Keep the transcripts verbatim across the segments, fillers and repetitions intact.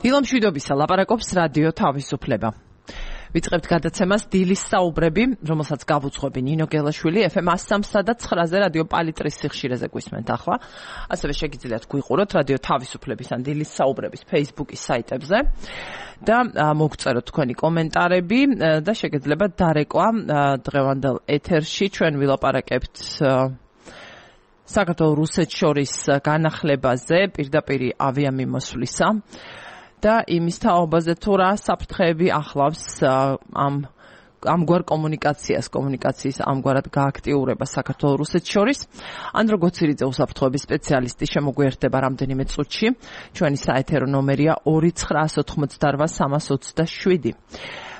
დილამშვიდობისა ლაპარაკობს რადიო თავისუფლება. ვიწყებთ გადაცემას დილის საუბრები, რომელსაც გავუძღვები ნინო გელაშვილი, ეფ ემ one oh three და nine-ზე რადიო პალიტრის სიხშირეზე გვისმენთ ახლა. ასევე შეგიძლიათ გვიყუროთ რადიო თავისუფლების ან დილის საუბრების Facebook-ის საიტებზე და მოგწეროთ თქვენი კომენტარები და შეგიძლიათ დარეკვა დღევანდელ ეთერში. ჩვენ ვილაპარაკებთ საქართველოს რუსეთს შორის განახლებაზე, პირდაპირი ავიამიმოსვლისა და იმის თაობაზე თუ რა საფრთხეები ახლავს ამ ამგვარ კომუნიკაციას, კომუნიკაციის ამგვარად გააქტიურებას საქართველოს რუსეთს შორის. ანდრო გოცირიძე უსაფრთხოების სპეციალისტი შემოგვიერთდება რამდენიმე წუთში. ჩვენი საეთერო ნომერია ორი ცხრა ოთხმოცდარვა სამას ოცდაშვიდი.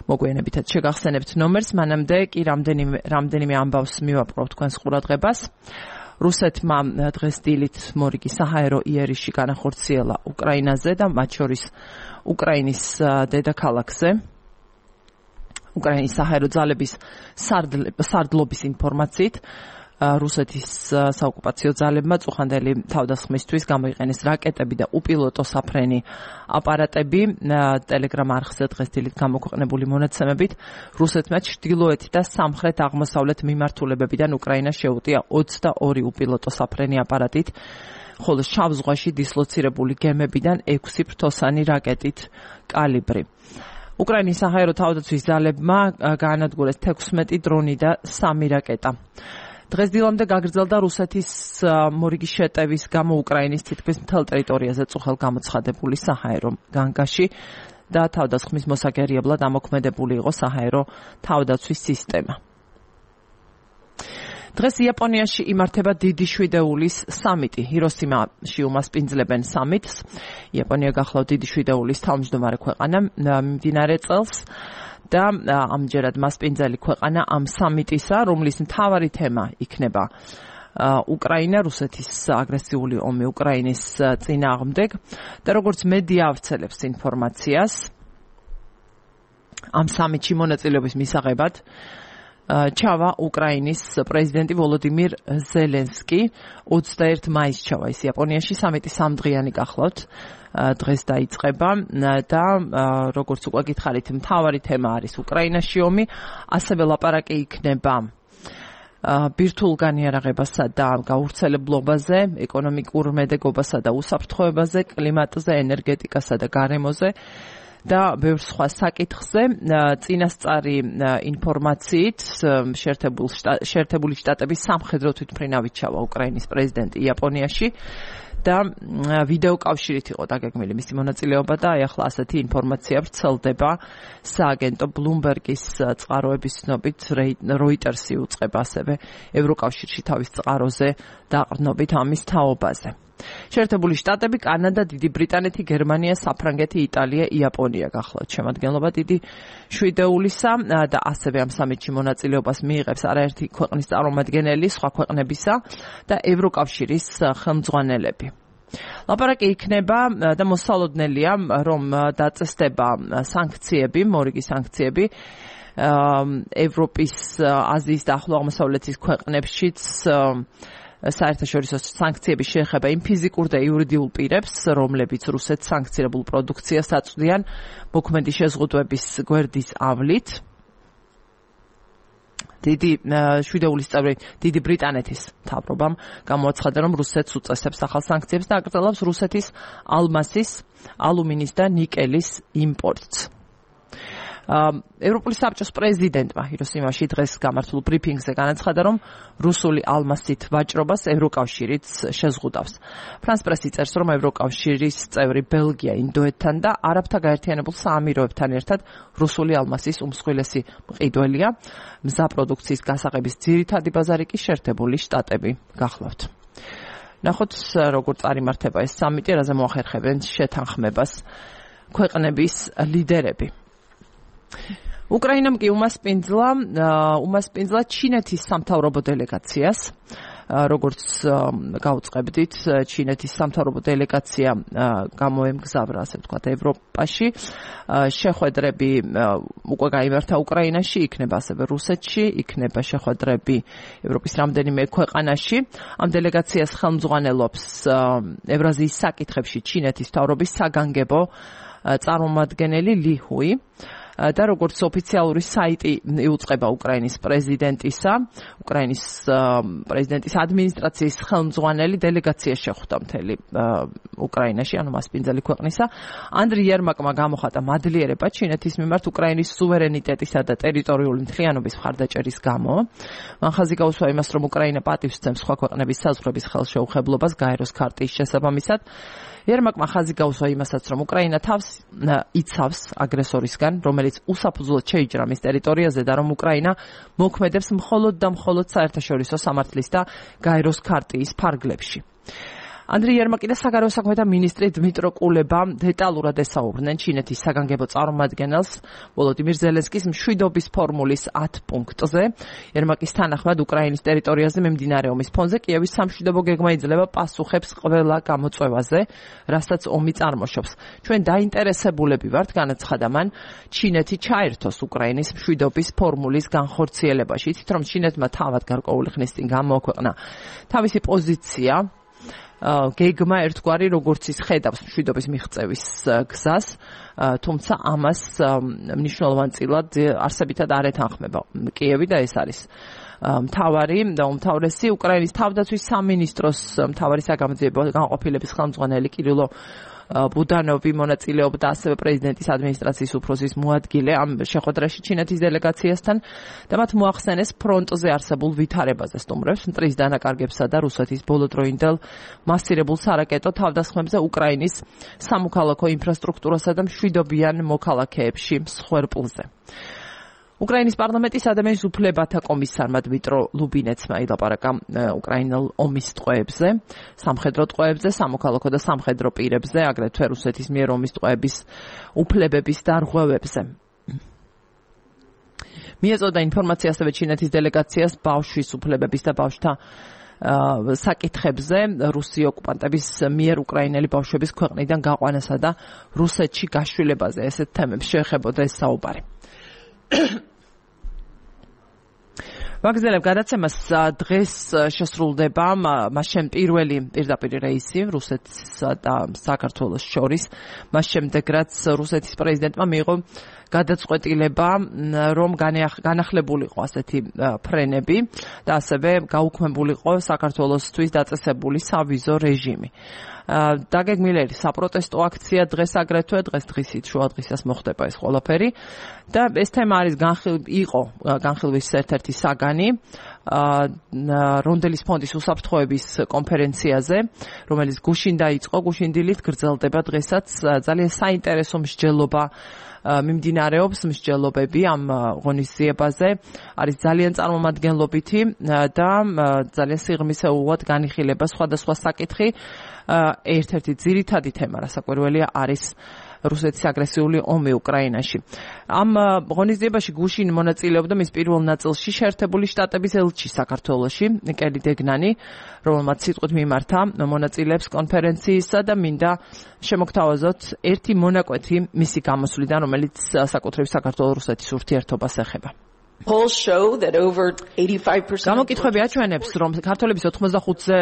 მოგვიანებითაც შეგახსენებთ ნომერს, მანამდე კი რამდენიმე რამდენიმე ამბავს მივაპყრობ თქვენს ყურადღებას. რუსეთმა დღეს დილით მორიგი საჰაერო იერიში განახორციელა უკრაინაზე და მათ შორის უკრაინის დედაქალაქზე. უკრაინის საჰაერო ძალების სარდლობის ინფორმაციით რუსეთის საოკუპაციო ძალებმა წუხანდელი თავდასხმისთვის გამოიყენეს რაკეტები და უპილოტო საფრენი აპარატები. ტელეგრამ არხზე დღეს დილით გამოქვეყნებული მონაცემებით რუსეთმა ჩრდილოეთ და სამხრეთ აღმოსავლეთ მიმართულებებიდან უკრაინას შეუტია ოცდაორი უპილოტო საფრენი აპარატით, ხოლო შავ ზღვაში დისლოცირებული გემებიდან ექვსი ფრთოსანი რაკეტით კალიბრი. უკრაინის საჰაერო თავდაცვის ძალებმა გაანადგურეს თექვსმეტი დრონი და სამი რაკეტა. დღეს დილამდე გაგრძელდა რუსეთის მორიგი შეტევის გამო უკრაინის თითქმის მთელ ტერიტორიაზე წუხელ გამოცხადებული საჰაერო განგაში და თავდასხმის მოსაგერიებლად ამოქმედებული იყო საჰაერო თავდაცვის სისტემა. დღეს იაპონიაში იმართება დიდი შვიდეულის სამიტი. ჰიროსიმაში უმასპინძლებენ სამიტს. იაპონია გახლავთ დიდი შვიდეულის თავმჯდომარე ქვეყანა მიმდინარე წელს და ამჯერად მასპინძელი ქვეყანა ამ სამიტისა, რომლის მთავარი თემა იქნება უკრაინა, რუსეთის აგრესიული ომი უკრაინის წინააღმდეგ და როგორც მედია ავრცელებს ინფორმაციას ამ სამიტში მონაწილეობის მისაღებად ჩავა უკრაინის პრეზიდენტი ვოლოდიმირ ზელენსკი. ოცდაერთი მაისს ჩავა ის იაპონიაში. სამიტი სამდღიანი გახლავთ დღეს დაიწყება და როგორც უკვე გითხარით, მთავარი თემა არის უკრაინაში ომი, ასევე ლაპარაკი იქნება ბირთვულ განიარაღებასა და გავრცელებლობაზე, ეკონომიკურ მედეგობასა და უსაფრთხოებაზე, კლიმატზე, ენერგეტიკასა და გარემოზე და ბევრ სხვა საკითხზე. წინასწარი ინფორმაციით შეერთებული შტატების სამხედრო თვითმფრინავით ჩავა უკრაინის პრეზიდენტი იაპონიაში და ვიდეო კავშირით იყო დაგეგმილი მისი მონაწილეობა და აი ახლა ასეთი ინფორმაცია ვრცელდება. სააგენტო ბლუმბერგის წყაროების ცნობით როიტერსი უწყება ასევე ევროკავშირში თავის წყაროზე დაყრდნობით ამის თაობაზე. შეერთებული შტატები, კანადა, დიდი ბრიტანეთი, გერმანია, საფრანგეთი, იტალია, იაპონია გახლავთ შემადგენლობა დიდი შვიდეულისა და ასევე ამ სამიტში მონაწილეობას მიიღებს არაერთი ქვეყნის წარმომადგენელი სხვა ქვეყნებისა და ევროკავშირის ხელმძღვანელები. ლაპარაკი იქნება და მოსალოდნელია, რომ დაწესდება სანქციები, მორიგი სანქციები ევროპის, აზიის და ახლო აღმოსავლეთის ქვეყნებშიც. საერთაშორისო სანქციები შეეხება იმ ფიზიკურ და იურიდიულ პირებს, რომლებიც რუსეთს სანქცირებულ პროდუქციას აწვდიან მოქმედი შეზღუდვების გვერდის ავლით. დიდი შვიდეულის წევრი დიდი ბრიტანეთის მთავრობამ გამოაცხადა, რომ რუსეთს უწესებს ახალ სანქციებს და აკრძალავს რუსეთის ალმასის, ალუმინის და ნიკელის იმპორტს. ევროპული საბჭოს პრეზიდენტმა ჰიროსიმაში დღეს გამართულ ბრიფინგზე განაცხადა, რომ რუსული ალმასით ვაჭრობას ევროკავშირიც შეზღუდავს. ფრანს პრესი წერს, რომ ევროკავშირის წევრი ბელგია, ინდოეთთან და არაბთა გაერთიანებულ საამიროებთან ერთად რუსული ალმასის უმსხვილესი მყიდველია. მზა პროდუქციის გასაღების ძირითადი ბაზარი კი შეერთებული შტატები გახლავთ. ნახოთ, როგორ წარიმართება ეს სამიტი, რაზე მოახერხებენ შეთანხმებას ქვეყნების ლიდერები. უკრაინამ კი უმასპინძლა უმასპინძლა ჩინეთის სამთავრობო დელეგაციას. როგორც გავუწყებდით, ჩინეთის სამთავრობო დელეგაცია გამოემგზავრა, ასე ვთქვათ, ევროპაში. შეხვედრები უკვე გაიმართა უკრაინაში, იქნება ასევე რუსეთში, იქნება შეხვედრები ევროპის რამდენიმე ქვეყანაში. ამ დელეგაციას ხელმძღვანელობს ევრაზიის საკითხებში ჩინეთის მთავრობის საგანგებო წარმომადგენელი ლი ჰუი და როგორც ოფიციალური საიტი იუწყება უკრაინის პრეზიდენტისა, უკრაინის პრეზიდენტის ადმინისტრაციის ხელმძღვანელი დელეგაცია შეხვდა მთელი უკრაინაში, ანუ მასპინძელი ქვეყნისა. ანდრი იერმაკმა გამოხატა მადლიერება ჩინეთის მიმართ უკრაინის სუვერენიტეტისა და ტერიტორიული მთლიანობის მხარდაჭერის გამო. მან ხაზი გაუსვა იმას, რომ უკრაინა პატივს სცემს სხვა ქვეყნების საზღვრების ხელშეუხებლობას გაეროს ქარტიის შესაბამისად. იერმაკმა ხაზი გაუსვა იმასაც, რომ უკრაინა თავს იცავს აგრესორისგან, რომელიც უსაფუძვლოდ შეიჭრა მის ტერიტორიაზე და რომ უკრაინა მოქმედებს მხოლოდ და მხოლოდ საერთაშორისო სამართლის და გაეროს ქარტიის ფარგლებში. ანდრი იერმაკი და საგარეო საქმეთა მინისტრი დმიტრო კულება დეტალურად ესაუბრნენ ჩინეთის საგანგებო წარმომადგენელს ვოლოდიმირ ზელენსკის მშვიდობის ფორმულის ათ პუნქტზე. იერმაკის თანახმად უკრაინის ტერიტორიაზე მიმდინარე ომის ფონზე კიევის სამშვიდობო გეგმა იძლევა პასუხებს ყველა გამოწვევაზე, რასაც ომი წარმოშობს. ჩვენ დაინტერესებულები ვართ, განაცხადა მან, ჩინეთი ჩაერთოს უკრაინის მშვიდობის ფორმულის განხორციელებაში. ითით რომ ჩინეთმა თავად გარკვეული ხნის წინ გამოაქვეყნა თავისი პოზიცია გეგმა ერთგვარი როგორც ის ხედავს მშვიდობის მიღწევის გზას, თუმცა ამას მნიშვნელოვანწილად არსებითად არ ეთანხმება კიევი და ეს არის მთავარი და უმთავრესი უკრაინის თავდაცვის სამინისტროს მთავარი საგამოძიებო განყოფილების ხელმძღვანელი კირილო ბუდანოვი მონაწილეობდა ასევე პრეზიდენტის ადმინისტრაციის უფროსის მოადგილე ამ შეხვედრაში ჩინეთის დელეგაციასთან და მათ მოახსენეს ფრონტზე არსებულ ვითარებაზე სტუმრებს, მტრის დანაკარგებსა და რუსეთის ბოლოდროინდელ მასირებულ სარაკეტო თავდასხმებზე უკრაინის სამოქალაქო ინფრასტრუქტურასა და მშვიდობიან მოქალაქეებში მსხვერპლზე. უკრაინის პარლამენტის ადამიანის უფლებათა კომისარმა დმიტრო ლუბინეცმა ილაპარაკა უკრაინელ ომის ტყვეებზე, სამხედრო ტყვეებზე, სამოქალაქო და სამხედრო პირებზე, აგრეთვე რუსეთის მიერ ომის ტყვეების უფლებების დარღვევებზე. მიეწოდა ინფორმაცია ასევე ჩინეთის დელეგაციას ბავშვის უფლებების და ბავშვთა საკითხებზე, რუსი ოკუპანტების მიერ უკრაინელი ბავშვების ქვეყნიდან გაყვანასა და რუსეთში გაშვილებაზე ესეთ თემებს შეეხებოდა ეს საუბარი. ვაგზელებ გადაცემას დღეს შესრულდება მას შემ პირველი პირდაპირ რეისი რუსეთსა და საქართველოს შორის, მას შემდეგ რაც რუსეთის პრეზიდენტმა მიიღო გადაწყვეტილება, რომ განახლებულიყო ასეთი ფრენები და ასევე გაუქმებულიყო საქართველოსთვის დაწესებული სავიზო რეჟიმი. დაგეგმილი საპროტესტო აქცია დღეს აგრეთვე დღეს დღისით შუადღისას მოხდება ეს ყველაფერი და ეს თემა არის იყო განხილვის ერთ-ერთი საგანი რონდელის ფონდის უსაფრთხოების კონფერენციაზე, რომელიც გუშინ დაიწყო, გუშინდილით გრძელდება დღესაც. ძალიან საინტერესო მსჯელობა მიმდინარეობს, მსჯელობები ამ ღონისძიებაზე არის ძალიან წარმომადგენლობითი და ძალიან სიღრმისეულად განიხილება სხვადასხვა საკითხი. ერთ-ერთი ძირითადი თემა, რასაკვირველია, არის რუსეთის აგრესიული ომი უკრაინაში. ამ ღონისძიებაში გუშინ მონაწილეობდა მის პირველ ნაწილში შეერთებული შტატების ელჩი საქართველოში, კელი დეგნანი, რომელმაც სიტყვით მიმართა მონაწილეებს კონფერენციისა და მინდა შემოგთავაზოთ ერთი მონაკვეთი მისი გამოსვლიდან, რომელიც საკუთრივ საქართველოს-რუსეთის ურთიერთობას ეხება. გამოკითხვები აჩვენებს, რომ ქართველების ოთხმოცდახუთზე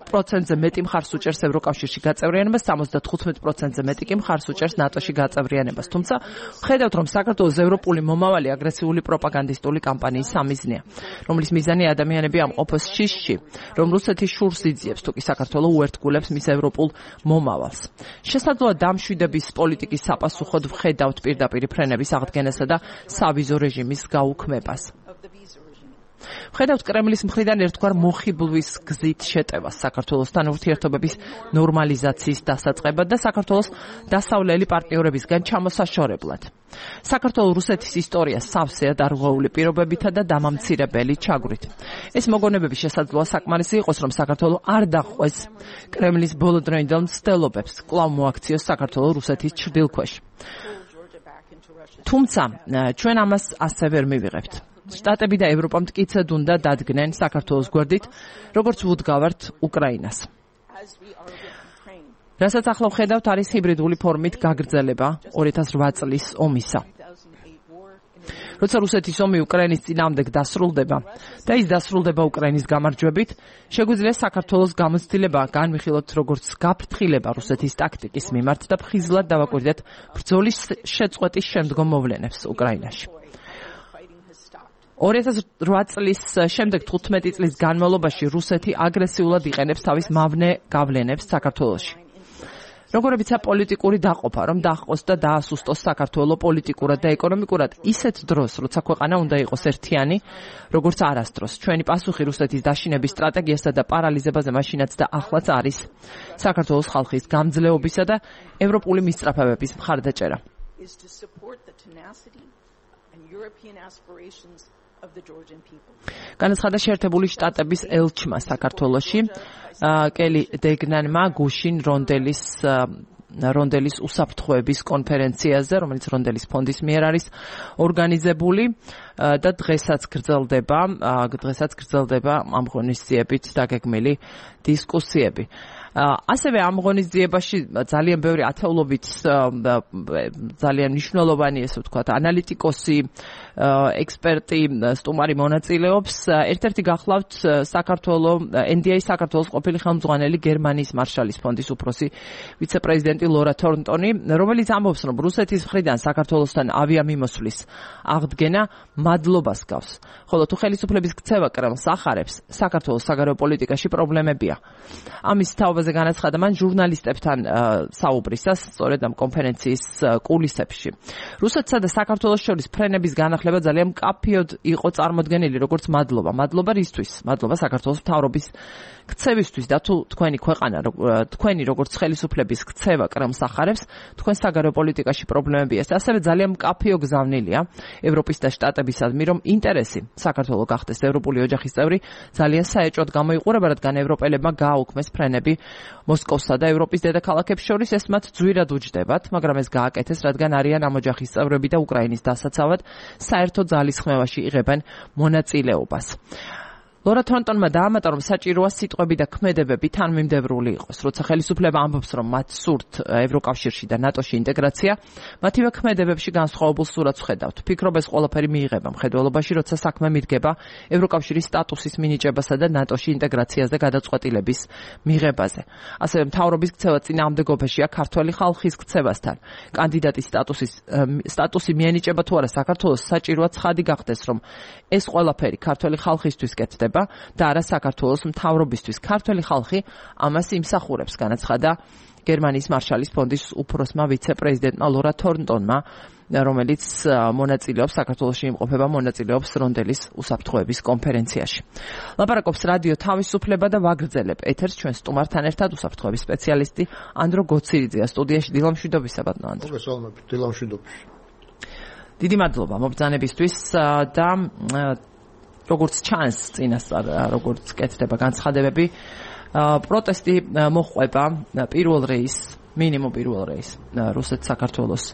პროცენტზე მეტი მხარს უჭერს ევროკავშირში გაწევრიანებას, სამოცდათხუთმეტ პროცენტზე მეტი კი მხარს უჭერს ნატოში გაწევრიანებას. თუმცა ხედავთ, რომ საქართველოს ევროპული მომავალი აგრესიული პროპაგანდისტული კამპანიის სამიზნეა, რომლის მიზანი ადამიანები ამყოფოს შიშში, რომ რუსეთი შურს იძიებს, თუ კი საქართველო უერთგულებს მის ევროპულ მომავალს. შესაძლოა დამშვიდების პოლიტიკის საპასუხოდ ვხედავთ პირდაპირ ფრენების აღდგენასა და სავიზო რეჟიმის გაუქმებას. ვხედავთ კრემლის მხრიდან ერთგვარ მოხიბლვის გზით შეტევას საქართველოსთან ურთიერთობების ნორმალიზაციის დასაწყებად და საქართველოს დასავლელი პარტნიორებისგან ჩამოსაშორებლად. საქართველოს რუსეთის ისტორია სავსეა დარღვეული პირობებითა და დამამცირებელი ჩაგვრით. ეს მოგონებები შესაძლოა საკმარისი იყოს, რომ საქართველო არ დახვეს კრემლის ბოლოდროინდელ მცდელობებს, კვლავ მოაქციოს საქართველოს რუსეთის ჩრდილქვეშ. თუმცა ჩვენ ამას ასე ვერ მივიღებთ. შტატები და ევროპა მტკიცედ უნდა დადგნენ საქართველოს გვერდით, როგორც ვუდგავართ უკრაინას. რასაც ახლა ვხედავთ, არის ჰიბრიდული ფორმით გაგრძელება ორი ათას ოთხ წლის ომისა. როცა რუსეთის ომი უკრაინის წინააღმდეგ დასრულდება და ის დასრულდება უკრაინის გამარჯვებით, შეგვიძლია საქართველოს გამოცდილება განვიხილოთ როგორც გაფრთხილება რუსეთის ტაქტიკის მიმართ და ფხიზლად დავაკვირდეთ ბრძოლის შეწყვეტის შემდგომ მოვლენებს უკრაინაში. ორი ათას რვა წლის შემდეგ თხუთმეტი წლის განმავლობაში რუსეთი აგრესიულად იყენებს თავის მავნე გავლენებს საქართველოში. როგორებიცა პოლიტიკური დაყოფა, რომ დაჰყოს და დაასუსტოს საქართველო პოლიტიკურად და ეკონომიკურად ისეთ დროს, როცა ქვეყანა უნდა იყოს ერთიანი, როგორც არასდროს. ჩვენი პასუხი რუსეთის დაშინების სტრატეგიასა და პარალიზებაზე მაშინაც და ახლაც არის საქართველოს ხალხის გამძლეობისა და ევროპული მისწრაფებების მხარდაჭერა. განაცხადა შეერთებული შტატების ელჩმა საქართველოში კელი დეგნანმა გუშინ რონდელის რონდელის უსაფრთხოების კონფერენციაზე, რომელიც რონდელის ფონდის მიერ არის ორგანიზებული და დღესაც გრძელდება, დღესაც გრძელდება ამ ღონისძიებით დაგეგმილი დისკუსიები. ასევე ამ ღონისძიებაში ძალიან ბევრი ათეულობით ძალიან მნიშვნელოვანი, ესე ვთქვათ, ანალიტიკოსი, ექსპერტი, სტუმარი მონაწილეობს. ერთ-ერთი გახლავთ საქართველოს ენ დი ეი საქართველოს ყოფილი ხელმძღვანელი გერმანიის მარშალის ფონდის უფროსი ვიცე-პრეზიდენტი ლორა თორნტონი, რომელიც ამბობს, რომ რუსეთის მხრიდან საქართველოსთან ავიამიმოსვლის აღდგენა მადლობას გავს. ხოლო თუ ხელისუფლების ქცევა კრემლს ახარებს, საქართველოს საგარეო პოლიტიკაში პრობლემებია. ამის თაობაზე განაცხადა მან ჟურნალისტებთან საუბრისას, სწორედ ამ კონფერენციის კულისებში. რუსეთსა და საქართველოს შორის ფრენების განახლება ძალიან მკაფიოდ იყო წარმოდგენილი როგორც მადლობა. მადლობა რისთვის? მადლობა საქართველოს მთავრობის ქცევისთვის და თუ თქვენი ქვეყანა, თქვენი როგორც ხელისუფლების ქცევა კრემლს ახარებს, თქვენ საგარეო პოლიტიკაში პრობლემებია. ასევე ძალიან მკაფიო გზავნილია ევროპის და შტატებისადმი, რომ ინტერესი საქართველოს გახდეს ევროპული ოჯახის წევრი ძალიან საეჭვოდ გამოიყურება, რადგან ევროპელებმა გააუქმეს ფრენები მოსკოვსა და ევროპის დედაქალაქებს შორის. ეს მათ ძვირად უჯდებათ, მაგრამ ეს გააკეთეს, რადგან არიან ამ ოჯახის წევრები და უკრაინის დასაცავად საერთო ძალისხმევაში იღებენ მონაწილეობას. ლორა თორნტონმა დაამატა, რომ საჭიროა სიტყვები და ქმედებები თანმიმდევრული იყოს. როცა ხელისუფლება ამბობს, რომ მათ სურთ ევროკავშირში და ნატოში ინტეგრაცია, მათივე ქმედებებში განსხვავებულ სურათს ვხედავთ. ფიქრობ, ეს ყველაფერი მიიღება მხედველობაში, როცა საქმე მიდგება ევროკავშირის სტატუსის მინიჭებასა და ნატოში ინტეგრაციაზე გადაწყვეტილების მიღებაზე. ასევე მთავრობის ქცევა წინააღმდეგობაშია ქართველი ხალხის ქცევასთან. კანდიდატის სტატუსის სტატუსი მიენიჭება თუ არა საქართველოს, საჭიროა ცხადი გახდეს, რომ ეს ყველაფერი ქართველი ხალხისთვის კეთდება და არა საქართველოს მთავრობისთვის. ქართველი ხალხი ამას იმსახურებს, განაცხადა გერმანიის მარშალის ფონდის უფროსმა ვიცე-პრეზიდენტმა ლორა თორნტონმა, რომელიც მონაწილეობს საქართველოში იმყოფება მონაწილეობს რონდელის უსაფრთხოების კონფერენციაში. ლაპარაკობს რადიო თავისუფლება და ვაგრძელებ ეთერს ჩვენ სტუმართან ერთად უსაფრთხოების სპეციალისტი ანდრო გოცირიძეა სტუდიაში. დილამშვიდობისა ბატონო ანდრო. მოგესალმებით, დილამშვიდობის. დიდი მადლობა მობრძანებისთვის და როგორც ჩანს წინასწარ, როგორც კეთდება განცხადებები, პროტესტი მოჰყვება პირველ რეისს, მინიმუმ პირველ რეისს რუსეთ საქართველოს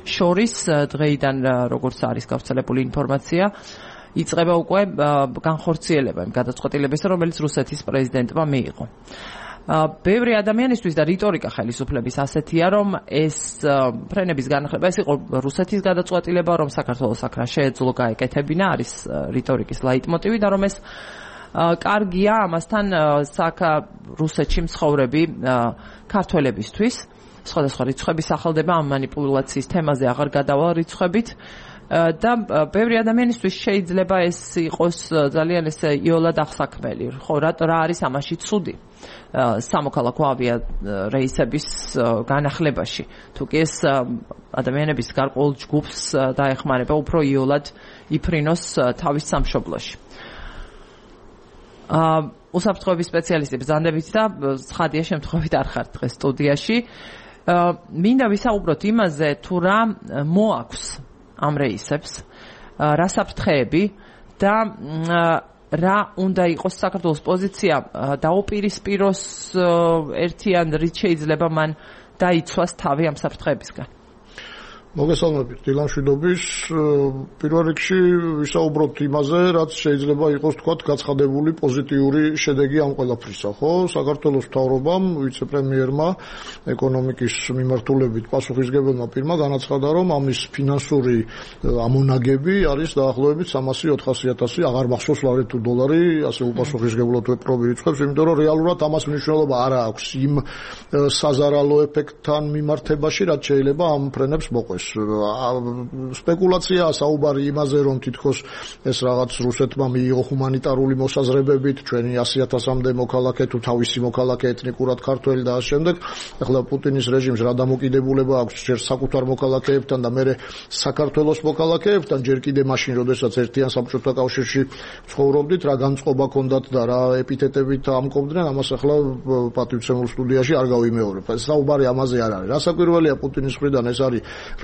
შორის. დღეიდან, როგორც არის გავრცელებული ინფორმაცია, იწყება უკვე განხორციელება იმ გადაწყვეტილებისა, რომელიც რუსეთის პრეზიდენტმა მიიღო. ბევრი ადამიანისთვის და რიტორიკა ხელისუფლების ასეთია, რომ ეს ფრენების განახლება ეს იყო რუსეთის გადაწყვეტილება, რომ საქართველოს აქ რა შეეძლო გაეკეთებინა, არის რიტორიკის ლაიტმოტივი და რომ ეს კარგია ამასთან საქა რუსეთში მცხოვრები ქართველებისთვის. სხვადასხვა რიცხვები სახელდება, ამ მანიპულაციის თემაზე აღარ გადავალ რიცხვებით. და ბევრი ადამიანისთვის შეიძლება ეს იყოს ძალიან ესე იოლად აღსაქმელი. ხო, რა არის ამაში ცუდი სამოქალაქო ავია რეისების განახლებაში? თუ კი ეს ადამიანების გარკვეულ ჯგუფს დაეხმარება უფრო იოლად იფრინოს თავის სამშობლოში. უსაფრთხოების სპეციალისტი ბრძანდებით და ცხადია შემთხვევით არ ხართ დღეს სტუდიაში. მინდა ვისაუბროთ იმაზე, თუ რა მოაქვს ამ რეისებს, რა საფრთხეები და რა უნდა იყოს საქართველოს პოზიცია დაუპირისპიროს ერთიან რით შეიძლება მან დაიცვას თავი ამ საფრთხეებისგან. მოგესალმებით დილამშვიდობის პირველ რიგში ვისაუბროთ იმაზე, რაც შეიძლება იყოს თქვათ გაცხადებული პოზიტიური შედეგი ამ ყველაფრისა, ხო? საქართველოს მთავრობამ, ვიცე-პრემიერმა, ეკონომიკის მიმართულებით პასუხისმგებელმა პირმა განაცხადა, რომ ამის ფინანსური ამონაგები არის დაახლოებით სამასი ოთხასი ათასი, აღარ მახსოვს ლარი თუ დოლარი, ასე უპასუხისმგებლოდ ვეპრობი რიცხვებს, იმიტომ რომ რეალურად ამას მნიშვნელობა არ აქვს იმ საზარალო ეფექტთან მიმართებაში, რაც შეიძლება ამ ფრენებს მოყვეს. სპეკულაცია საუბარი იმაზე, რომ თითქოს ეს რაღაც რუსეთმა მიიღო ჰუმანიტარული მოსაზრებებით, ჩვენი ასი ათასამდე მოქალაქე თუ თავისი მოქალაქე ეთნიკურად ქართველი და ამ შემდეგ, ახლა პუტინის რეჟიმს რა დამოკიდებულება აქვს ჯერ საკუთარ მოქალაქეებთან და მერე საქართველოს მოქალაქეებთან, ჯერ კიდე მაშინ, როდესაც ერთიან საბჭოთა კავშირში ცხოვრობდით, რა განწყობა ჰქონდათ და რა ეპითეტებით ამკობდნენ, ამას ახლა პატივცემულ სტუდიაში არ გავიმეორებ. საუბარი ამაზე არ არის. რასაკვირველია, პუტინის მხრიდან ეს არის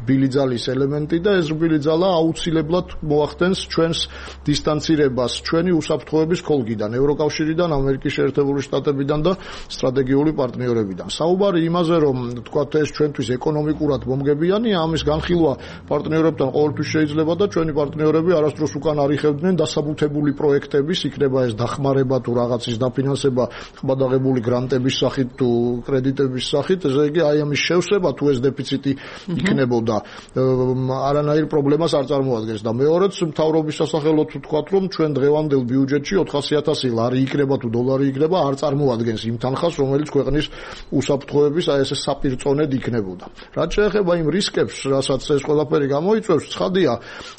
რბილი ძალის ელემენტი და ეს რბილი ძალა აუცილებლად მოახდენს ჩვენს დისტანცირებას ჩვენი უსაფრთხოების ხოლგიდან, ევროკავშირიდან, ამერიკის შეერთებული შტატებიდან და სტრატეგიული პარტნიორებიდან. საუბარი იმაზე, რომ თქვათ ეს ჩვენთვის ეკონომიკურად მომგებიანია, ამის განხილვა პარტნიორებთან ყოველთვის შეიძლება და ჩვენი პარტნიორები არასდროს უკან არ იხევდნენ დასაბუთებული პროექტების, იქნება ეს დახმარება თუ რაღაცის დაფინანსება ხმადაღებული გრანტების სახით თუ კრედიტების სახით, ესე იგი აი ამის შევსება თუ ეს დეფიციტი იქნებოდა არანაირ პრობლემას არ წარმოადგენს და მეორეც მთავრობის სასახელოდ ვთქვათ, რომ ჩვენ დღევანდელ ბიუჯეტში ოთხასი ათასი ლარი იქნება თუ დოლარი იქნება არ წარმოადგენს იმ თანხას, რომელიც ქვეყნის უსაფრთხოების აი ესე საპირწონედ იქნებოდა. რაც შეეხება იმ რისკებს, რასაც ეს ყველაფერი გამოიწვევს, ცხადია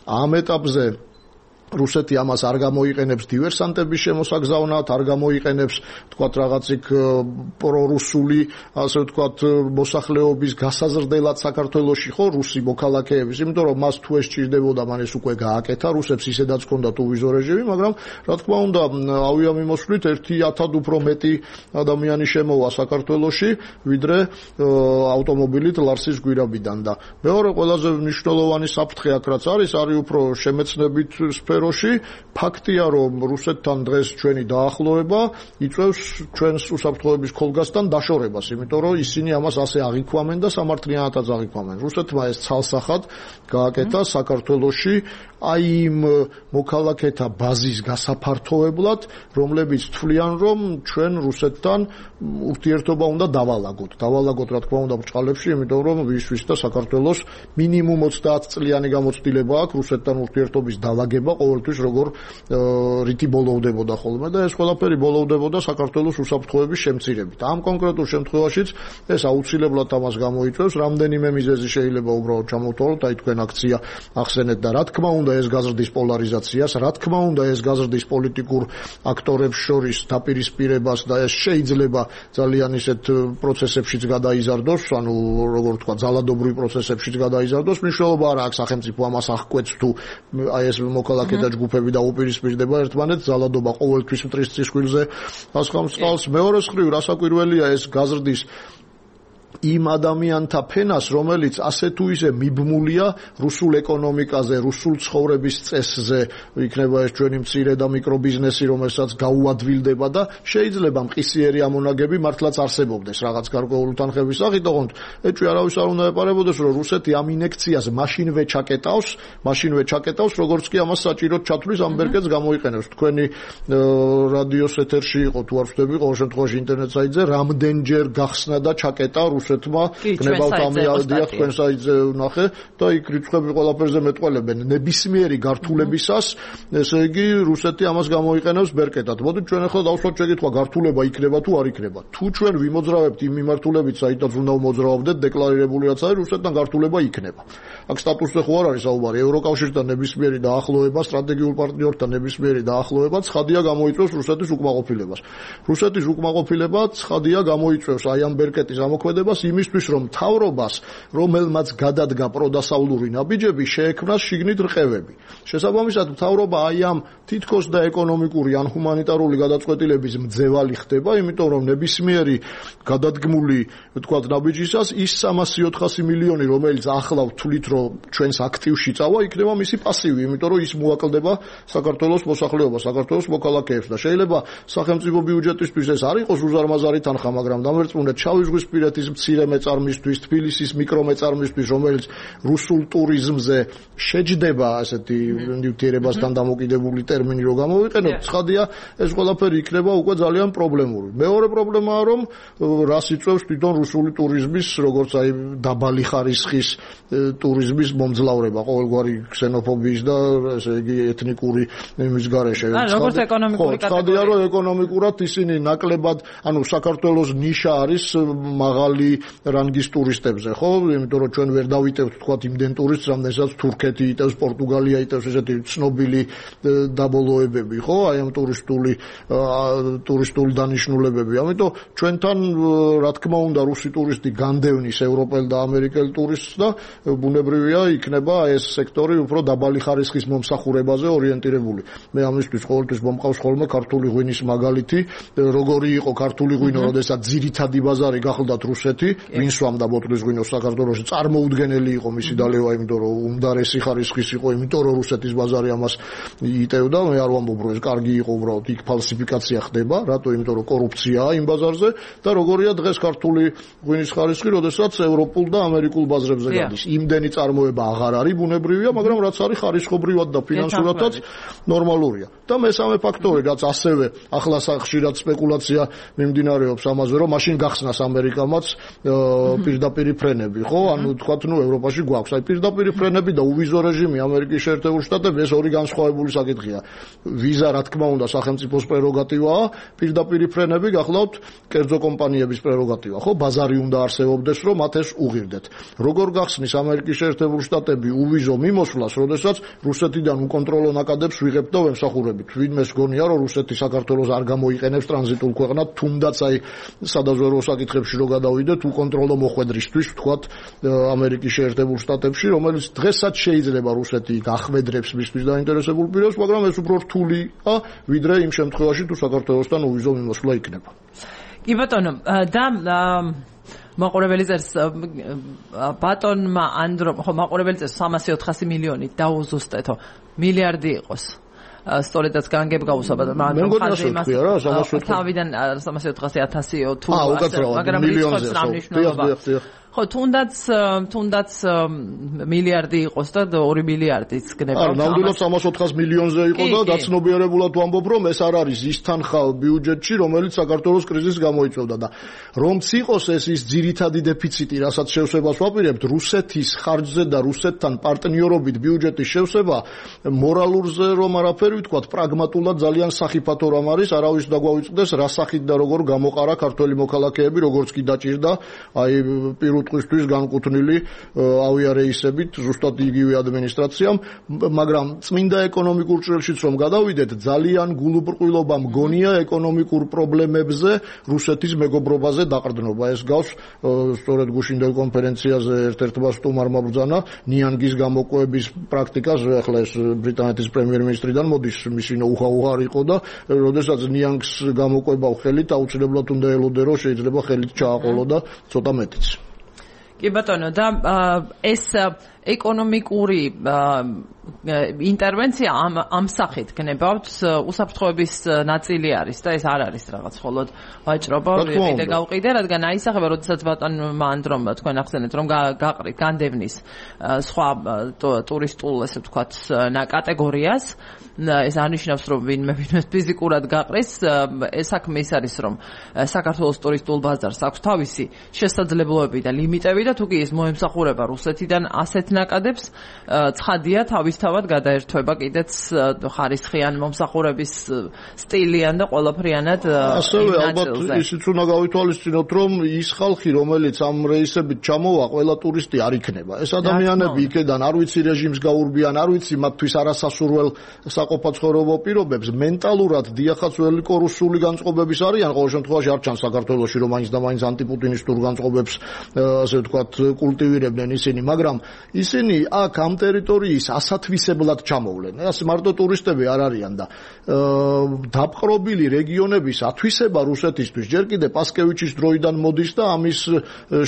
ამ ეტაპზე რუსეთი ამას არ გამოიყენებს დივერსანტების შემოსაგზავნად, არ გამოიყენებს თქვათ რაღაცիկ პრორუსული, ასე ვთქვათ, მოსახლეობის გასაზრდელად საქართველოში, ხო, რუსი მოქალაქეების, იმიტომ რომ მას თუ ეს სჭირდებოდა, მან ეს უკვე გააკეთა, რუსებს ისედაც ჰქონდათ უვიზო რეჟიმი, მაგრამ რა თქმა უნდა, ავიამიმოსვლით ერთი ათად უფრო მეტი ადამიანი შემოვა საქართველოში, ვიდრე ავტომობილით ლარსის გვირაბიდან და მეორე ყველაზე მნიშვნელოვანი საფრთხე აქ რაც არის, არის უფრო შემეცნებით სფეროში, ფაქტია, რომ რუსეთთან დღეს ჩვენი დაახლოება იწვევს ჩვენს უსაფრთხოების ხოლგასთან დაშორებას, იმიტომ რომ ისინი ამას ასე აღიქვამენ და სამართლიანადაც აღიქვამენ. რუსეთმა ეს ცალსახად გააკეთა საქართველოში აი იმ მოქალაქეთა ბაზის გასაფართოებლად, რომლებიც თვლიან, რომ ჩვენ რუსეთთან ურთიერთობა უნდა დავალაგოთ. დავალაგოთ, რა თქმა უნდა, ბრჭყალებში, იმიტომ რომ ვისთვის და საქართველოს მინიმუმ ოცდაათ წლიანი გამოცდილება აქვს რუსეთთან ურთიერთობის დალაგება ყოველთვის როგორ რითი ბოლოვდებოდა ხოლმე და ეს ყველაფერი ბოლოვდებოდა საქართველოს უსაფრთხოების შემცირებით. ამ კონკრეტულ შემთხვევაშიც ეს აუცილებლად ამას გამოიწვევს, რამდენიმე მიზეზი შეიძლება უბრალოდ ჩამოვთვალოთ, აი თქვენ აქცია ახსენეთ და რა თქმა უნდა ეს გაზრდის პოლარიზაციას, რა თქმა უნდა ეს გაზრდის პოლიტიკურ აქტორებს შორის დაპირისპირებას და ეს შეიძლება ძალიან ისეთ პროცესებშიც გადაიზარდოს, ანუ როგორ თქვა, ძალადობრივ პროცესებშიც გადაიზარდოს, მნიშვნელობა არ აქვს სახელმწიფო ამას აღკვეთს თუ აი ეს მოქალაქე და ჯგუფები დაუპირისპირდება ერთმანეთს, ძალადობა ყოველთვის მტრის წისქვილზე ასხამწყალს. მეორე მხრივ, რასაკვირველია ეს გაზრდის იმ ადამიანთა ფენას, რომელიც ასე თუ ისე მიბმულია რუსულ ეკონომიკაზე, რუსულ ცხოვრების წესზე, იქნება ეს ჩვენი მცირე და მიკრობიზნესი, რომელსაც გაუადვილდება და შეიძლება მყისიერი ამონაგები მართლაც არსებობდეს რაღაც გარკვეული თანხების სახით, ოღონდ ეჭვი არავის არ უნდა ეპარებოდეს, რომ რუსეთი ამ ინექციას მაშინვე ჩაკეტავს, მაშინვე ჩაკეტავს, როგორც კი ამას საჭიროდ ჩათვლის ამ ბერკეტს გამოიყენებს. თქვენი რადიოს ეთერში იყო თუ არ ვხვდები, ყოველ შემთხვევაში ინტერნეტ საიტზე რამდენჯერ გახსნა და ჩაკეტა რუსეთმა გნებავთ ამიადია თქვენ საიტზე ვნახე და იქ რიცხვები ყველაფერზე მეტყველებენ ნებისმიერი გართულებისას, ესე იგი რუსეთი ამას გამოიყენებს ბერკეტად. მოდით ჩვენ ახლა დავსვათ შეკითხვა, გართულება იქნება თუ არ იქნება. თუ ჩვენ ვიმოძრავებთ იმ მიმართულებით, საიდანაც უნდა მოძრავებდეთ, დეკლარირებული რაც არის, რუსეთთან გართულება იქნება. აქ სტატუსზე ხო არ არის საუბარი, ევროკავშირთან ნებისმიერი დაახლოება, სტრატეგიულ პარტნიორთან ნებისმიერი დაახლოება ცხადია გამოიწვევს რუსეთის უკმაყოფილებას. რუსეთის უკმაყოფილება ცხადია გამოიწვევს აი ამ ბერკეტის ამოქმედებას იმისთვის, რომ მთავრობას, რომელმაც გადადგა პროდასავლური ნაბიჯები, შეექმნას შიგნით რყევები. შესაბამისად, მთავრობა აი ამ თითქოს და ეკონომიკური ან ჰუმანიტარული გადაწყვეტილების მძევალი ხდება, იმიტომ რომ ნებისმიერი გადადგმული, ვთქვათ, ნაბიჯისას ის სამასი ოთხასი მილიონი, რომელიც ახლა ვთვლით, რომ ჩვენს აქტივში წავა, იქნება მისი პასივი, იმიტომ რომ ის მოაკლდება საქართველოს მოსახლეობას, საქართველოს მოქალაქეებს და შეიძლება სახელმწიფო ბიუჯეტისთვის ეს არ იყოს უზარმაზარი თანხა, მაგრამ დამერწმუნეთ შავი ზღვის პირეთის მცირე მეწარმისთვის, თბილისის მიკრომეწარმისთვის, რომელიც რუსულ ტურიზმზე შეჯდება, ასეთი ნივთიერებასთან დამოკიდებული ტერმინი რო გამოვიყენოთ, ცხადია, ეს ყველაფერი იქნება უკვე ძალიან პრობლემური. მეორე პრობლემაა, რომ რას იწვევს თვითონ რუსული ტურიზმის, როგორც აი დაბალი ხარისხის ტურიზმის მომძლავრება, ყოველგვარი ქსენოფობიის და ესე იგი ეთნიკური იმის გარეშე. როგორც ეკონომიკური კატეგორია. ცხადია, რომ ეკონომიკურად ისინი ნაკლებად, ანუ საქართველოს ნიშა არის მაღალი რანგის ტურისტებზე, ხო? იმიტომ რომ ჩვენ ვერ დავიტევთ თქვათ იმდენ ტურისტს, რამდენსაც თურქეთი იტევს, პორტუგალია იტევს, ესეთი ცნობილი დაბოლოებები, ხო? აი ამ ტურისტული ტურისტული დანიშნულებები. ამიტომ ჩვენთან რა თქმა უნდა რუსი ტურისტი განდევნის ევროპელ და ამერიკელ ტურისტს და ბუნებრივია იქნება ეს სექტორი უფრო დაბალი ხარისხის მომსახურებაზე ორიენტირებული. მე ამისთვის ყოველთვის მომყავს ხოლმე ქართული ღვინის მაგალითი, როგორი იყო ქართული ღვინო, როდესაც ძირითადი ბაზარი გახლდათ რუსეთი, ვინ სვამდა ბოთლის ღვინოს საქართველოში, წარმოუდგენელი იყო მისი დალევა, იმიტომ რომ უმდარესი ხარისხის იყო, იმიტომ რომ რუსეთის ბაზარი ამას იტევდა. მე არ ვამბობ რომ ეს კარგი იყო, უბრალოდ იქ ფალსიფიკაცია ხდება, რატო? იმიტომ რომ კორუფციაა იმ ბაზარზე და როგორია დღეს ქართული ღვინის ხარისხი, როდესაც ევროპულ და ამერიკულ ბაზრებზე გადის. იმდენი წარმოება აღარ არის ბუნებრივია, მაგრამ რაც არის ხარისხობრივად და ფინანსურადაც ნორმალურია. და მესამე ფაქტორი, რაც ასევე ახლა ხშირად სპეკულაცია მიმდინარეობს ამაზე, რომ მაშინ გახსნას ამერიკამაც პირდაპირი ფრენები, ხო? ანუ თქვათ, ნუ ევროპაში გვაქვს აი პირდაპირი ფრენები და უვიზო რეჟიმი ამერიკის შეერთებულ შტატებში, ეს ორი განსხვავებული საკითხია. ვიზა, რა თქმა უნდა, სახელმწიფოს პრეროგატივაა, პირდაპირი ფრენები გახლავთ კერძო კომპანიების პრეროგატივა, ხო? ბაზარი უნდა არსებობდეს, რომ მათ ეს უღირდეთ. როგორ გახსნის ამერიკის შეერთებული შტატები უვიზო მიმოსვლას, როდესაც რუსეთიდან უკონტროლო ნაკადებს ვიღებთ და ვემსახურებით. ვინმეს გონია, რომ რუსეთი საქართველოს არ გამოიყენებს ტრანზიტულ ქვეყნად, თუნდაც აი სადაზვერვო საკითხებში რო გადავიდეთ, უკონტროლო მოხვედრისთვის, ვთქვათ, ამერიკის შეერთებულ შტატებში, რომელიც დღესაც შეიძლება რუსეთი გახმედრებს მისთვის დაინტერესებულ პირებს, მაგრამ ეს უფრო რთულია, ვიდრე იმ შემთხვევაში, თუ საქართველოსთან უვიზო მიმოსვლა იქნება. კი ბატონო, და მაყურებელი წერს ბატონმა ანდრომ, ხო, მაყურებელი წერს სამასი ოთხასი მილიონი დაუზუსტეთო, მილიარდი იყოს. სწორედაც განგებ გავუსვა ბატონმა ანდრომ ხაზი იმას თავიდან სამასი ოთხასი ათასიო თუ მაგრამ რიცხვებს რა მნიშვნელობა. ხო, თუნდაც თუნდაც მილიარდი იყოს და ორი მილიარდიც გნება. არა, ნამდვილად სამას ოთხას მილიონზე იყო და გაცნობიერებულად ვამბობ, რომ ეს არ არის ის თანხა ბიუჯეტში, რომელიც საქართველოს კრიზისს გამოიწვევდა და რომც იყოს ეს ის ძირითადი დეფიციტი, რასაც შევსებას ვაპირებთ, რუსეთის ხარჯზე და რუსეთთან პარტნიორობით ბიუჯეტის შევსება მორალურზე რომ არაფერი ვთქვათ, პრაგმატულად ძალიან სახიფათო რამ არის, არავის დაგვავიწყდეს რა სახით და როგორ გამოყარა ქართველი მოქალაქეები, როგორც კი დაჭირდა, აი ტყისთვის განკუთვნილი ავიარეისებით ზუსტად იგივე ადმინისტრაციამ, მაგრამ წმინდა ეკონომიკურ ჭრილშიც რომ გადავიდეთ, ძალიან გულუბრყვილობა მგონია ეკონომიკურ პრობლემებზე რუსეთის მეგობრობაზე დაყრდნობა. ეს გავს სწორედ გუშინდელ კონფერენციაზე ერთ-ერთმა სტუმარმა ბრძანა ნიანგის გამოკვების პრაქტიკას, ახლა ეს ბრიტანეთის პრემიერ-მინისტრიდან მოდის, მისი ნოუ-ჰაუ არ იყო და როდესაც ნიანგს გამოკვებავ ხელით, აუცილებლად უნდა ელოდე, რომ შეიძლება ხელით ჩააყოლო და ცოტა მეტიც. კი ბატონო, და ეს ეკონომიკური ინტერვენცია ამ ამ სახით გნებავთ უსაფრთხოების ნაწილი არის და ეს არ არის რაღაც მხოლოდ ვაჭრობა ვიყიდე გავყიდე, რადგან აისახება, როდესაც ბატონმა ანდრომ თქვენ ახსენეთ, რომ გაყრით განდევნის სხვა ტურისტულ, ესე ვთქვათ, კატეგორიას, ეს არნიშნავს, რომ ვინმე ვინმე ფიზიკურად გაყრის, ეს საქმე ის არის, რომ საქართველოს ტურისტულ ბაზარს აქვს თავისი შესაძლებლობები და ლიმიტები და თუ კი ის მოემსახურება რუსეთიდან ასეთ ნაკადებს, ცხადია თავისთავად გადაერთვება კიდეც ხარისხიან მომსახურების სტილიან და ყველაფრიანად. ასევე ალბათ ისიც უნდა გავითვალისწინოთ, რომ ის ხალხი, რომელიც ამ რეისებით ჩამოვა, ყველა ტურისტი არ იქნება. ეს ადამიანები იქედან არ ვიცი რეჟიმს გაურბიან, არ ვიცი მათთვის არასასურველ საყოფაცხოვრებო პირობებს, მენტალურად დიახაც ველიკო რუსული განწყობების არიან, ყოველ შემთხვევაში არ ჩანს საქართველოში, რომ მაინც და მაინც ანტიპუტინისტურ განწყობებს, ასე ვთქვათ, კულტივირებდნენ ისინი, მაგრამ ისინი აქ ამ ტერიტორიის ასათვისებლად ჩამოვლენ. ასე მარტო ტურისტები არ არიან და დაპყრობილი რეგიონების ათვისება რუსეთისთვის ჯერ კიდე პასკევიჩის დროიდან მოდის და ამის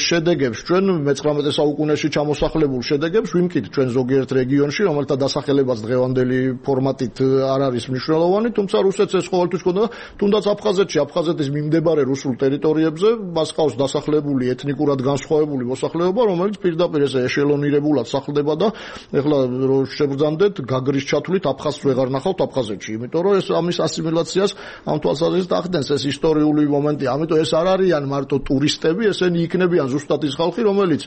შედეგებს ჩვენ მეცხრამეტე საუკუნეში ჩამოსახლებულ შედეგებს ვიმკით ჩვენ ზოგიერთ რეგიონში, რომელთა დასახელებაც დღევანდელი ფორმატით არ არის მნიშვნელოვანი, თუმცა რუსეთს ეს ყოველთვის ჰქონდა, თუნდაც აფხაზეთში, აფხაზეთის მიმდებარე რუსულ ტერიტორიებზე მას ყავს დასახლებული ეთნიკურად განსხვავებული მოსახლეობა, რომელიც პირდაპირ ესე ეშელონირებულად სახლდება და ეხლა შევბრძანდეთ გაგრის ჩათვლით აფხაზს ვეღარ ნახავთ აფხაზეთში, იმიტომ რომ ეს ამის ასიმილაციას ამ თვალსაზრისით ახდენს ეს ისტორიული მომენტი, ამიტომ ეს არ არიან მარტო ტურისტები, ესენი იქნებიან ზუსტად ის ხალხი, რომელიც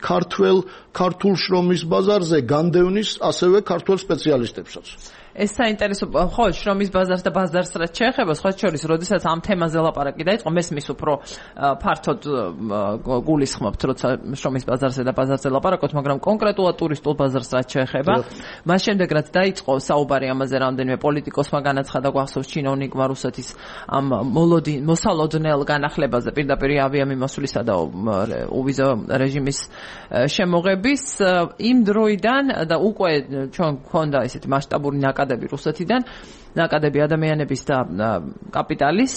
ქართველ ქართულ შრომის ბაზარზე განდევნის ასევე ქართველ სპეციალისტებსაც. ეს საინტერესო ხო შრომის ბაზარს და ბაზარს რაც შეეხება სხვა შორის როდესაც ამ თემაზე ლაპარაკი დაიწყო მესმის უფრო ფართოდ გულისხმობთ როცა შრომის ბაზარზე და ბაზარზე ლაპარაკობთ მაგრამ კონკრეტულად ტურისტულ ბაზარს რაც შეეხება მას შემდეგ რაც დაიწყო საუბარი ამაზე რამდენიმე პოლიტიკოსმა განაცხადა გვახსოვს ჩინოვნიკმა რუსეთის ამ მოლოდი მოსალოდნელ განახლებაზე პირდაპირ ავიამიმოსვლისა და უვიზო რეჟიმის შემოღების იმ დროიდან და უკვე ჩვენ გვქონდა ესეთი მასშტაბური ნაკადები რუსეთიდან, ნაკადები ადამიანების და კაპიტალის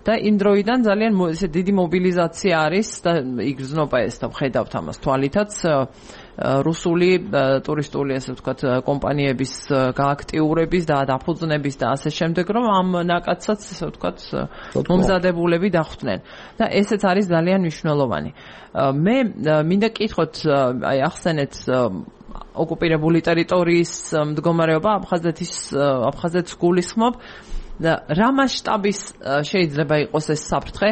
და იმ დროიდან ძალიან ესე დიდი მობილიზაცია არის და იგრძნობა ეს და ვხედავთ ამას თვალითაც რუსული ტურისტული ასე ვთქვათ კომპანიების გააქტიურების და დაფუძნების და ასე შემდეგ რომ ამ ნაკადსაც ასე ვთქვათ მომზადებულები დახვდნენ და ესეც არის ძალიან მნიშვნელოვანი. მე მინდა კითხოთ აი ახსენეთ ოკუპირებული ტერიტორიის მდგომარეობა აფხაზეთის აფხაზეთს გულისხმობ და რა მასშტაბის შეიძლება იყოს ეს საფრთხე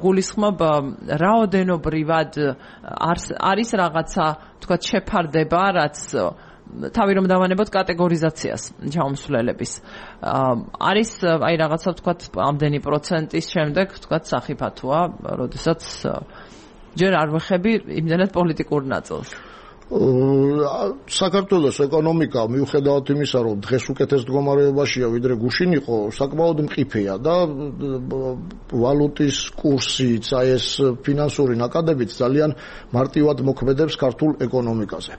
გულისხმობ რაოდენობრივად არის რაღაცა თქვათ შეფარდება რაც თავი რომ დავანებოთ კატეგორიზაციას ჩამოსვლელების არის აი რაღაცა თქვათ ამდენი პროცენტის შემდეგ თქვათ სახიფათოა როდესაც ჯერ არ ვეხები იმდენად პოლიტიკურ ნაწილს საქართველოს ეკონომიკა მიუხედავად იმისა, რომ დღეს უკეთეს მდგომარეობაშია, ვიდრე გუშინ იყო, საკმაოდ მყიფეა და ვალუტის კურსიც, აი ეს ფინანსური ნაკადებიც ძალიან მარტივად მოქმედებს ქართულ ეკონომიკაზე.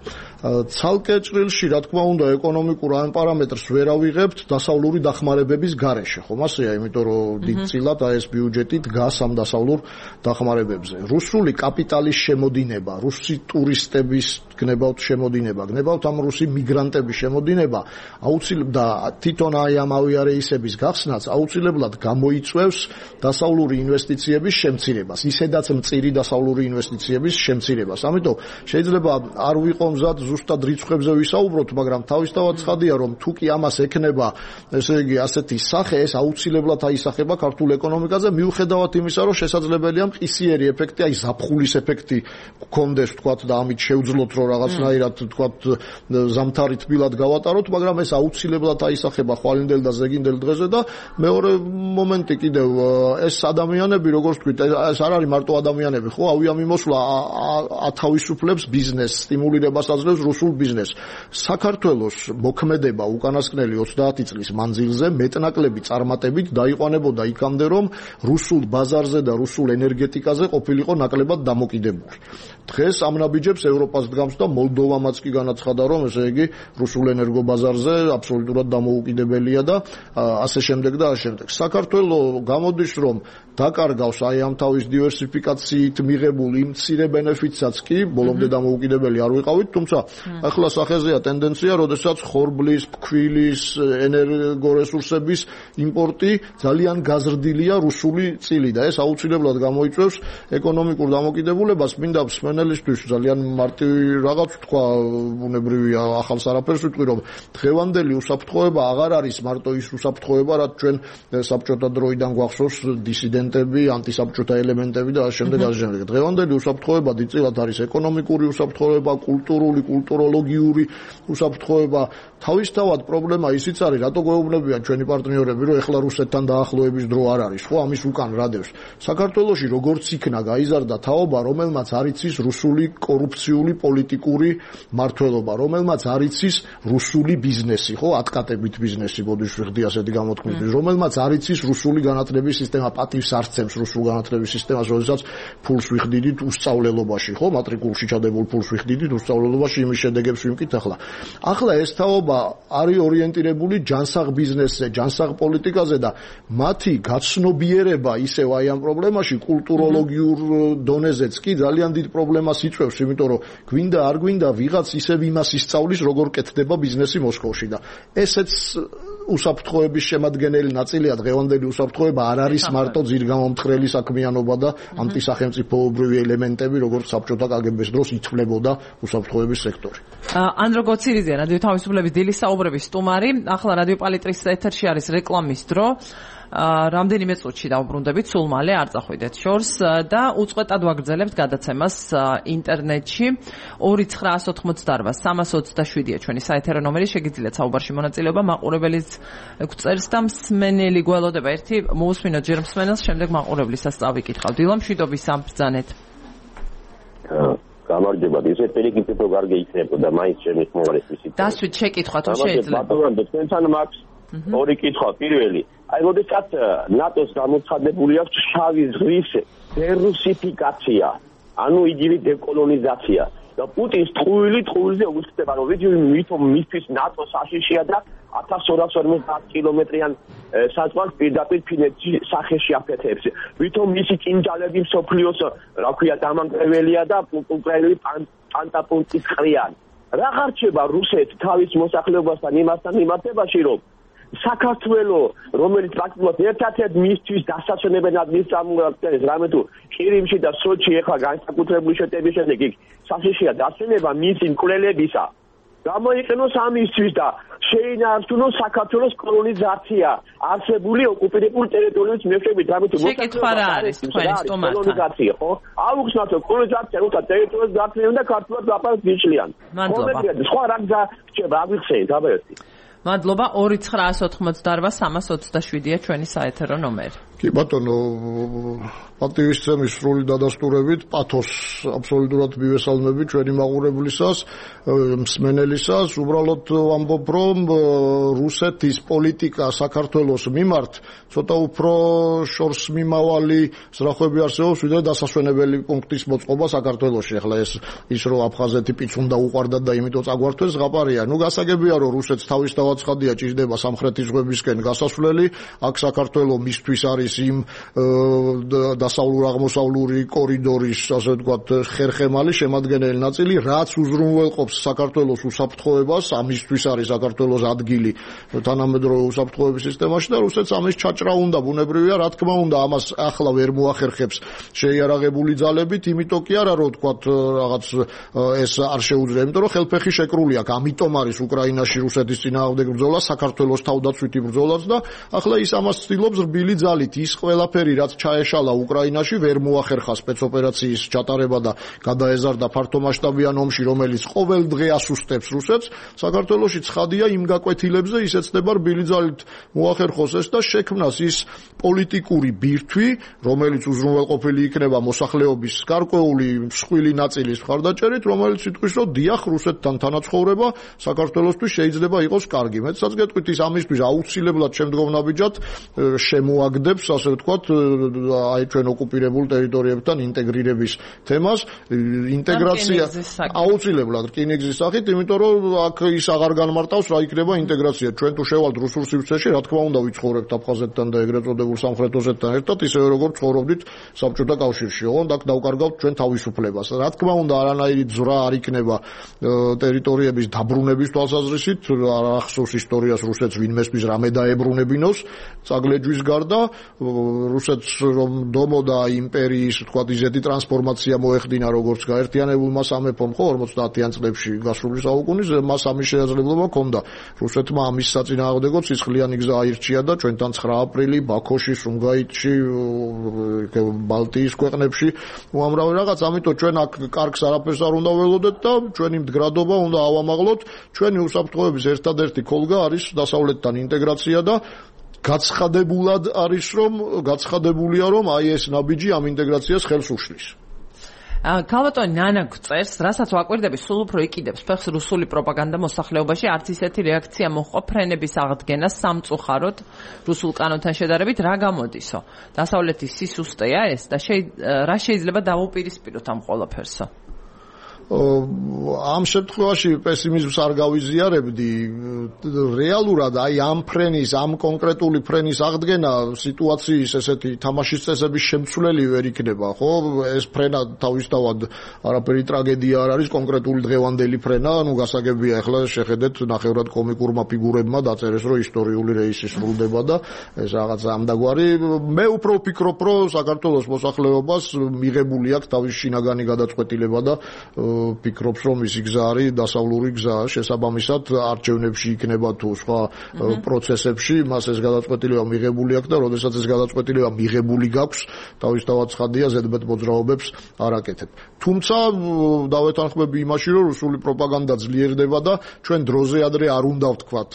ცალკე ჭრილში, რა თქმა უნდა, ეკონომიკურ ამ პარამეტრს ვერ ავიღებთ დასავლური დახმარებების გარეშე, ხომ ასეა, იმიტომ რომ დიდწილად აი ეს ბიუჯეტი დგას ამ დასავლურ დახმარებებზე. რუსული კაპიტალის შემოდინება, რუსი ტურისტების გნებავთ შემოდინება, გნებავთ ამ რუსი მიგრანტების შემოდინება, აუცილებლად და თვითონ აი ამ ავიარეისების გახსნაც აუცილებლად გამოიწვევს დასავლური ინვესტიციების შემცირებას, ისედაც მწირი დასავლური ინვესტიციების შემცირებას. ამიტომ შეიძლება არ ვიყო მზად ზუსტად რიცხვებზე ვისაუბროთ, მაგრამ თავისთავად ცხადია, რომ თუ კი ამას ექნება, ესე იგი ასეთი სახე, ეს აუცილებლად აისახება ქართულ ეკონომიკაზე, მიუხედავად იმისა, რომ შესაძლებელია მყისიერი ეფექტი, აი ზაფხულის ეფექტი გქონდეს, თქვათ და ამით შევძლოთ რომ რაღაცნაირად თქვათ ზამთარი თბილად გავატაროთ, მაგრამ ეს აუცილებლად აისახება ხვალინდელ და ზეგინდელ დღეზე და მეორე მომენტი კიდევ ეს ადამიანები, როგორც თქვით, ეს არ არის მარტო ადამიანები, ხო, ავიამიმოსვლა ათავისუფლებს ბიზნესს, სტიმულირებას აძლევს რუსულ ბიზნესს. საქართველოს მოქმედება უკანასკნელი ოცდაათი წლის მანძილზე მეტნაკლები წარმატებით დაიყვანებოდა იქამდე, რომ რუსულ ბაზარზე და რუსულ ენერგეტიკაზე ყოფილიყო ნაკლებად დამოკიდებული. დღეს ამ ნაბიჯებს ევროპას დგამს და მოლდოვამაც კი განაცხადა, რომ ესე იგი რუსულ ენერგობაზარზე აბსოლუტურად დამოუკიდებელია და ასე შემდეგ და ასე შემდეგ. საქართველოს გამოდის, რომ დაკარგავს აი ამ თავის დივერსიფიკაციით მიღებულ იმ მცირე ბენეფიტსაც კი, ბოლომდე დამოუკიდებელი არ ვიყავით, თუმცა ახლა სახეზეა ტენდენცია, როდესაც ხორბლის, ფქვილის, ენერგორესურსების იმპორტი ძალიან გაზრდილია რუსული წილი და ეს აუცილებლად გამოიწვევს ეკონომიკურ დამოკიდებულებას. მინდა მსმენელისთვის ძალიან მარტივი რაღაც თქვა, ბუნებრივია, ახალს არაფერს ვიტყვი, რომ დღევანდელი უსაფრთხოება აღარ არის მარტო ის უსაფრთხოება, რაც ჩვენ საბჭოთა დროიდან გვახსოვს დისიდენტები, ანტისაბჭოთა ელემენტები და ასე შემდეგ, ასე შემდეგ. დღევანდელი უსაფრთხოება დიდწილად არის ეკონომიკური უსაფრთხოება, კულტურული, კულტუროლოგიური უსაფრთხოება. თავისთავად პრობლემა ისიც არის, რატო გვეუბნებიან ჩვენი პარტნიორები, რომ ეხლა რუსეთთან დაახლოების დრო არ არის, ხო, ამის უკან რადევს. საქართველოში როგორც იქნა გაიზარდა თაობა, რომელმაც არ იცის რუსული კორუფციული პოლიტიკა პოლიტიკური მმართველობა, რომელმაც არ იცის რუსული ბიზნესი, ხო, ატკატებით ბიზნესი, ბოდიში ვიხდი ასეთი გამოთქმით, რომელმაც არ იცის რუსული განათლების სისტემა, პატივს არ სცემს რუსულ განათლების სისტემას, როდესაც ფულს ვიხდიდით უსწავლელობაში, ხო, მატრიკულში ჩადებულ ფულს ვიხდიდით უსწავლელობაში, იმის შედეგებს ვიმკით ახლა. ახლა ეს თაობა არის ორიენტირებული ჯანსაღ ბიზნესზე, ჯანსაღ პოლიტიკაზე და მათი გაცნობიერება ისევ აი ამ პრობლემაში კულტუროლოგიურ დონეზეც კი ძალიან დიდ პრობლემას იწვევს, იმიტომ რომ გვინდა არ გვინდა ვიღაც ისევ იმას ისწავლის, როგორ კეთდება ბიზნესი მოსკოვში და ესეც უსაფრთხოების შემადგენელი ნაწილია. დღევანდელი უსაფრთხოება არ არის მარტო ძირგამომთხრელი საქმიანობა და ანტისახელმწიფოებრივი ელემენტები, როგორც საბჭოთა კაგებეს დროს ითვლებოდა უსაფრთხოების სექტორი. ანდრო გოცირიძე, რადიო თავისუფლების დილის საუბრების სტუმარი. ახლა რადიო პალიტრის ეთერში არის რეკლამის დრო. რამდენიმე წუთში დავბრუნდებით, სულ მალე არ წახვიდეთ შორს და უწყვეტად ვაგრძელებთ გადაცემას ინტერნეტში. ორი ცხრაას ოთხმოცდაოთხ სამას ოცდაშვიდია ჩვენი საეთერო ნომერი, შეგიძლიათ საუბარში მონაწილეობა, მაყურებელიც გვწერს და მსმენელი გველოდება. ერთი მოусმინოთ ჯერ მსმენელს, შემდეგ მაყურებლისას წავიკითხავ. დილა მშვიდობის ამ ბრძანეთ. გამარჯობა, ისეთ პირიქით რო გარგე იქნებოდა, მაინც ჩემი ხმოვარის ვისით. დასვით შეკითხვა თუ შეიძლება. ბატონო, თქვენთან მაქვს ორი კითხვა. პირველი, აი როდესაც ნატოს გამოცხადებული აქვს შავი ზღვის დერუსიფიკაცია, ანუ იგივე დეკოლონიზაცია და პუტინს ტყუილი ტყუილზე უცხდება, რომ ვიცი ვითომ მისთვის ნატო საშიშია და ათას ორას ორმოცდაათ კილომეტრიან საზღვარს პირდაპირ ფინეთში სახეში აფეთებს. ვითომ მისი ჭინჯალები მსოფლიოს, რა ქვია, დამანგრეველია და უკრაინელი პანტაპუნტის ყრიან. რა ხარჩება რუსეთს თავის მოსახლეობასთან იმასთან მიმართებაში, რომ საქართველო, რომელიც პრაქტიკულად ერთ-ერთ მისთვის დასასვენებად მის წამოგვაქცევს, რამე თუ ყირიმში და სოჩი ეხლა განსაკუთრებული შეტევის შემდეგ იქ საშიშია დასვენება მისი მკვლელებისა. გამოიყენოს ამისთვის და შეინარჩუნოს საქართველოს კოლონიზაცია, არსებული ოკუპირებული ტერიტორიების მეშვეობით, რამე თუ შეკითხვა რა არის თქვენი სტუმართან? კოლონიზაცია, ხო? აუხსნათ კოლონიზაცია, როცა ტერიტორიას გაფრენ და ქართულად გაფარს გიშლიან. მადლობა. სხვა რა გზა რჩება, აგვიხსენით, აბერტი. მადლობა. ორი ცხრაას ოთხმოცდაოთხ სამას ოცდაშვიდია ჩვენი საეთერო ნომერი. კი ბატონო, პატივისცემის სრული დადასტურებით პათოს აბსოლუტურად მივესალმები ჩვენი მაყურებლისას, მსმენელისას. უბრალოდ ვამბობ, რომ რუსეთის პოლიტიკა საქართველოს მიმართ ცოტა უფრო შორს მიმავალი ზრახვები არსებობს, ვიდრე დასასვენებელი პუნქტის მოწყობა საქართველოში. ახლა ეს ის რომ აფხაზეთი პიც უნდა უყარდათ და იმიტომ წაგვართვეს ზღაპარია. ნუ გასაგებია, რომ რუსეთს თავის თავაცხადია ჭირდება სამხრეთის ზღვებისკენ გასასვლელი. აქ საქართველო მისთვის არის იმ დასავლურ-აღმოსავლური კორიდორის, ასე ვთქვათ, ხერხემალი შემადგენელი ნაწილი, რაც უზრუნველყოფს საქართველოს უსაფრთხოებას, ამისთვის არის საქართველოს ადგილი თანამედროვე უსაფრთხოების სისტემაში და რუსეთს ამის ჩაჭრა უნდა, ბუნებრივია, რა თქმა უნდა, ამას ახლა ვერ მოახერხებს შეიარაღებული ძალებით, იმიტომ კი არა, რომ ვთქვათ, რაღაც ეს არ შეუძლია, იმიტომ რომ ხელფეხი შეკრული აქვს, ამიტომ არის უკრაინაში რუსეთის წინააღმდეგ ბრძოლა, საქართველოს თავდაცვითი ბრძოლაც და ახლა ის ამას ცდილობს რბილი ძალით. ის ყველაფერი, რაც ჩაეშალა უკრაინაში, ვერ მოახერხა სპეცოპერაციის ჩატარება და გადაეზარდა ფართომასშტაბიან ომში, რომელიც ყოველ დღე ასუსტებს რუსეთს. საქართველოში ცხადია იმ გაკვეთილებზე ისეცდება რბილი ძალით მოახერხოს ეს და შექმნას ის პოლიტიკური ბირთვი, რომელიც უზრუნველყოფილი იქნება მოსახლეობის გარკვეული მსხვილი ნაწილის მხარდაჭერით, რომელიც იტყვის, რომ დიახ, რუსეთთან თანაცხოვრება საქართველოსთვის შეიძლება იყოს კარგი. მეცაც გეტყვით, ის ამისთვის აუცილებლად შემდგომნაბიჯად შემოაგდებს, ასე ვთქვათ, აი ჩვენ ოკუპირებულ ტერიტორიებთან ინტეგრირების თემას, ინტეგრაცია აუცილებლად რკინიგზის სახით, იმიტომ რომ აქ ის აღარ განმარტავს რა იქნება ინტეგრაცია. ჩვენ თუ შევალთ რუსულ სივრცეში, რა თქმა უნდა ვიცხოვრებთ აფხაზეთთან და ეგრეთ წოდებულ სამხრეთ ოსეთთან ერთად, ისევე როგორც ცხოვრობდით საბჭოთა კავშირში, ოღონდ აქ დავკარგავთ ჩვენ თავისუფლებას. რა თქმა უნდა, არანაირი ძვრა არ იქნება ტერიტორიების დაბრუნების თვალსაზრისით, არ ახსოვს ისტორიას რუსეთს ვინმესთვის რამე დაებრუნებინოს, წაგლეჯვის გარდა რუსეთს რომ დომოდა იმპერიის, თქვა, ისეთი ტრანსფორმაცია მოეხდინა, როგორც გაერთიანებულმა სამეფომ, ხო, ორმოცდაათიან წლებში გასული საუკუნის, მას ამის შესაძლებლობა ჰქონდა. რუსეთმა ამის საწინააღმდეგო ცისხლიანი გზა აირჩია და ჩვენთან ცხრა აპრილი ბაქოში, სუმგაითში, ბალტიის ქვეყნებში უამრავი რაღაც, ამიტომ ჩვენ აქ კარგს არაფერს არ უნდა ველოდეთ და ჩვენი მდგრადობა უნდა ავამაღლოთ. ჩვენი უსაფრთხოების ერთადერთი ქოლგა არის დასავლეთთან ინტეგრაცია და გაცხადებულად არის რომ გაცხადებულია რომ აი ეს ნაბიჯი ამ ინტეგრაციას ხელს უშლის. ქალბატონი ნანა გწერს, რასაც ვაკვირდები, სულ უფრო იკიდებს ფეხს რუსული პროპაგანდა მოსახლეობაში, არც ისეთი რეაქცია მოჰყვა ფრენების აღდგენას სამწუხაროდ რუსულ კანონთან შედარებით, რა გამოდისო? დასავლეთის სისუსტეა ეს და რა შეიძლება დავუპირისპიროთ ამ ყველაფერსო? ამ შემთხვევაში პესიმიზმს არ გავიზიარებდი. რეალურად აი ამ ფრენის, ამ კონკრეტული ფრენის აღდგენა სიტუაციის ესეთი თამაშის წესების შემცვლელი ვერ იქნება, ხო? ეს ფრენა თავისთავად არაფერი ტრაგედია არ არის, კონკრეტული დღევანდელი ფრენა, ну გასაგებია ახლა შეხედეთ ნახევრად კომიკურმა ფიგურებმა დაწერეს, რომ ისტორიული რეისი სრულდება და ეს რაღაც ამდაგვარი. მე უფრო ვფიქრობ, რომ საქართველოს მოსახლეობას მიღებული აქვს თავის შინაგანი გადაწყვეტილება და ფიქრობს, რომ ისი გზა არის დასავლური გზა, შესაბამისად არჩევნებში იქნება თუ სხვა პროცესებში, მას ეს გადაწყვეტილება მიღებული აქვს და როდესაც ეს გადაწყვეტილება მიღებული გაქვს, თავისთავად ცხადია ზედმეტ მოძრაობებს არ აკეთებ. თუმცა დავეთანხმები იმაში, რომ რუსული პროპაგანდა ძლიერდება და ჩვენ დროზე ადრე არ უნდა ვთქვათ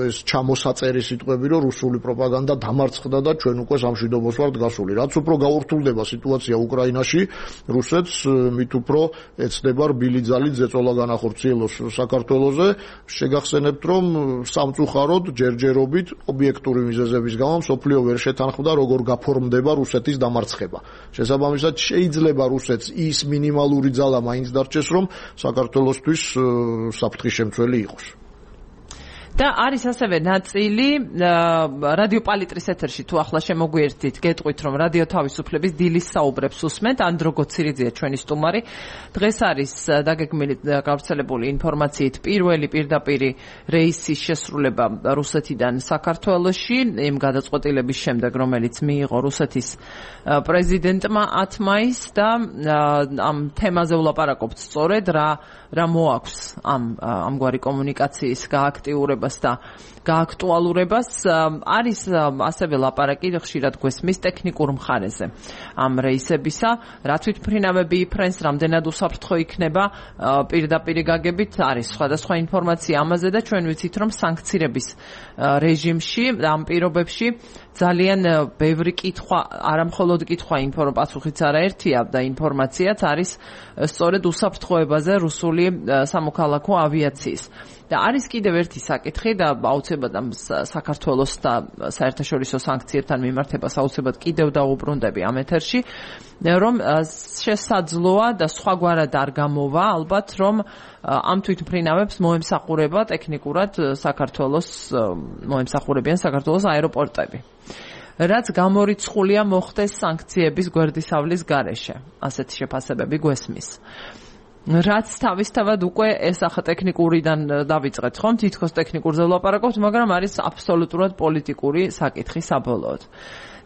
ეს ჩამოსაწერი სიტყვები, რომ რუსული პროპაგანდა დამარცხდა და ჩვენ უკვე სამშვიდობოს ვართ გასული. რაც უფრო გაურთულდება სიტუაცია უკრაინაში, რუსეთს მით უფრო ეცდება რბილი ძალით ზეწოლა განახორციელოს საქართველოზე. შეგახსენებთ, რომ სამწუხაროდ ჯერჯერობით ობიექტური მიზეზების გამო მსოფლიო ვერ შეთანხმდა, როგორ გაფორმდება რუსეთის დამარცხება. შესაბამისად შეიძლება რუსეთს ის მინიმალური ძალა მაინც დარჩეს, რომ საქართველოსთვის საფრთხის შემცველი იყოს. და არის ასევე ნაწილი რადიო პალიტრის ეთერში თუ ახლა შემოგვიერთდით, გეტყვით რომ რადიო თავისუფლების დილის საუბრებს უსმენთ, ანდრო გოცირიძეა ჩვენი სტუმარი. დღეს არის დაგეგმილი გავრცელებული ინფორმაციით პირველი პირდაპირი რეისის შესრულება რუსეთიდან საქართველოში, იმ გადაწყვეტილების შემდეგ, რომელიც მიიღო რუსეთის პრეზიდენტმა ათ მაისს და ამ თემაზე ვლაპარაკობთ სწორედ რა რა მოაქვს ამ ამგვარი კომუნიკაციის გააქტიურებას და გააქტუალურებას. არის ასევე ლაპარაკი ხშირად გვესმის ტექნიკურ მხარეზე ამ რეისებისა, რა თვითმფრინავები იფრენს, რამდენად უსაფრთხო იქნება პირდაპირი გაგებით, არის სხვადასხვა ინფორმაცია ამაზე და ჩვენ ვიცით, რომ სანქცირების რეჟიმში, ამ პირობებში ძალიან ბევრი კითხვა, არამხოლოდ კითხვა, პასუხიც არაერთია და ინფორმაციაც არის სწორედ უსაფრთხოებაზე რუსული სამოქალაქო ავიაციის. და არის კიდევ ერთი საკითხი და აუცილებლად ამ საქართველოს და საერთაშორისო სანქციებთან მიმართებას აუცილებლად კიდევ დავუბრუნდები ამ ეთერში, რომ შესაძლოა და სხვაგვარად არ გამოვა ალბათ, რომ ამ თვითმფრინავებს მოემსახურება ტექნიკურად საქართველოს მოემსახურებიან საქართველოს აეროპორტები. რაც გამორიცხულია მოხდეს სანქციების გვერდისავლის გარეშე. ასეთი შეფასებები გვესმის. რაც თავისთავად უკვე ეს ახლა ტექნიკურიდან დავიწყეთ ხომ, თითქოს ტექნიკურზე ვლაპარაკობთ, მაგრამ არის აბსოლუტურად პოლიტიკური საკითხი საბოლოოდ.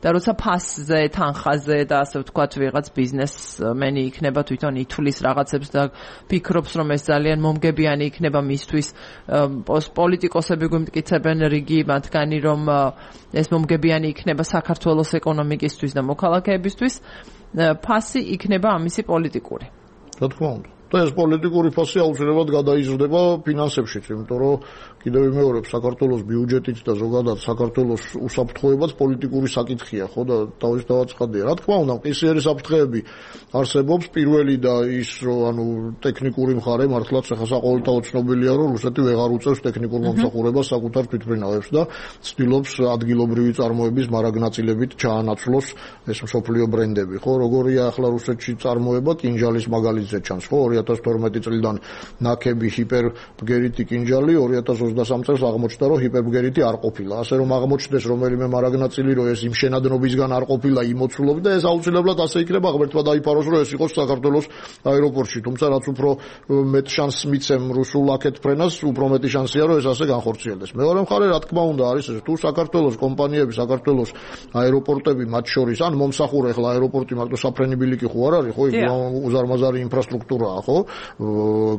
და როცა ფასზე, თანხაზე და ასე ვთქვათ, ვიღაც ბიზნესმენი იქნება თვითონ ითვლის რაღაცებს და ფიქრობს, რომ ეს ძალიან მომგებიანი იქნება მისთვის, პოლიტიკოსები გვიმტკიცებენ რიგი მათგანი, რომ ეს მომგებიანი იქნება საქართველოს ეკონომიკისთვის და მოქალაქეებისთვის, ფასი იქნება ამისი პოლიტიკური. რა თქმა უნდა. და ეს პოლიტიკური ფასი აუცილებლად გადაიზრდება ფინანსებშიც, იმიტომ რომ კიდევ ვიმეორებ, საქართველოს ბიუჯეტით და ზოგადად საქართველოს უსაფრთხოებაც პოლიტიკური საკითხია, ხო და თავისთავად ცხადია. რა თქმა უნდა, მყისიერი საფრთხეები არსებობს, პირველი და ის, რომ ანუ ტექნიკური მხარე მართლაც ახლა საყოველთაოდ ცნობილია, რომ რუსეთი ვეღარ უწევს ტექნიკურ მომსახურებას საკუთარ თვითმფრინავებს და ცდილობს ადგილობრივი წარმოების მარაგნაწილებით ჩაანაცვლოს ეს მსოფლიო ბრენდები, ხო, როგორია ახლა რუსეთში წარმოება კინჟალის მაგალითზე ჩანს, ხო, ორი ათას თორმეტი წლიდან ნაკები ჰიპერბგერიტი კინჟალი, ორი ათას ოცდასამ წელს აღმოჩნდა, რომ ჰიპერბგერიტი არ ყოფილა. ასე რომ აღმოჩნდეს რომელიმე მარაგნაწილი, რომ ეს იმ შენადნობისგან არ ყოფილა, იმოცულობდა, ეს აუცილებლად ასე იქნება ღმერთმა დაიფაროს, რომ ეს იყოს საქართველოს აეროპორტში. თუმცა რაც უფრო მეტ შანსს მიცემ რუსულ აქეთ ფრენას, უფრო მეტი შანსია, რომ ეს ასე განხორციელდეს. მეორე მხარე, რა თქმა უნდა, არის ეს, თუ საქართველოს კომპანიები, საქართველოს აეროპორტები მათ შორის, ან მომსახურე ახლა აეროპორტი მარტო საფრენი ბილიკი ხო არ არის, ხო, იქ უზარმაზარი ინფრასტრუქტურაა, ხო,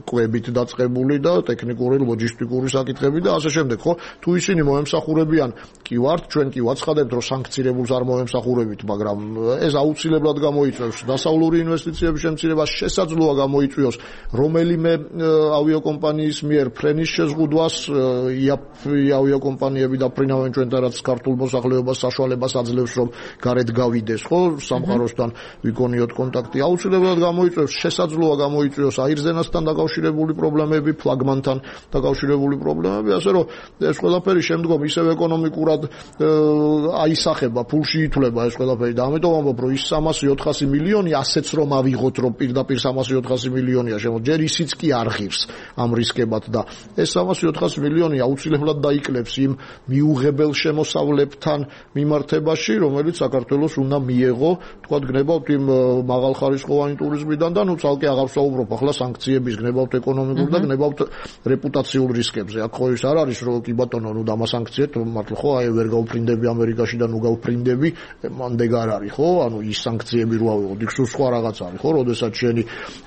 კვებით დაწყებული და ტექნიკური, ლოჯისტიკური საკითხი საკითხები და ასე შემდეგ, ხო? თუ ისინი მოემსახურებიან, კი ვართ, ჩვენ კი ვაცხადებთ, რომ სანქცირებულს არ მოემსახურებით, მაგრამ ეს აუცილებლად გამოიწვევს დასავლური ინვესტიციების შემცირებას, შესაძლოა გამოიწვიოს რომელიმე ავიაკომპანიის მიერ ფრენის შეზღუდვას, ავიაკომპანიები დაფრინავენ ჩვენთან, რაც ქართულ მოსახლეობას საშუალებას აძლევს, რომ გარეთ გავიდეს, ხო, სამყაროსთან ვიკონიოთ კონტაქტი. აუცილებლად გამოიწვევს, შესაძლოა გამოიწვიოს აირზენასთან დაკავშირებული პრობლემები, ფლაგმანთან დაკავშირებული პრობლემები, ასე რომ ეს ყველაფერი შემდგომ ისევ ეკონომიკურად აისახება, ფულში ითვლება ეს ყველაფერი და ამიტომ ამბობ, რომ ის სამასი ოთხასი მილიონი ასეც რომ ავიღოთ, რომ პირდაპირ სამასი ოთხასი მილიონია შემო, ჯერ ისიც კი არ ღირს ამ რისკებად და ეს სამასი ოთხასი მილიონი აუცილებლად დაიკლებს იმ მიუღებელ შემოსავლებთან მიმართებაში, რომელიც საქართველოს უნდა მიეღო, თქვა გნებავთ იმ მაღალხარისხოვანი ტურიზმიდან და ნუ ცალკე აღარ ვსაუბრობ ახლა სანქციების, გნებავთ ეკონომიკურ და გნებავთ რეპუტაციულ რისკებზე. აქ ხო ის არ არის, რომ კი ბატონო, ნუ დამასანქციეთ, მართლა ხო აი ვერ გავფრინდები ამერიკაში და ნუ გავფრინდები, მანდეგ არ არის, ხო? ანუ ის სანქციები რო ავიღოთ, იქ სულ სხვა რაღაც არის, ხო? როდესაც შენი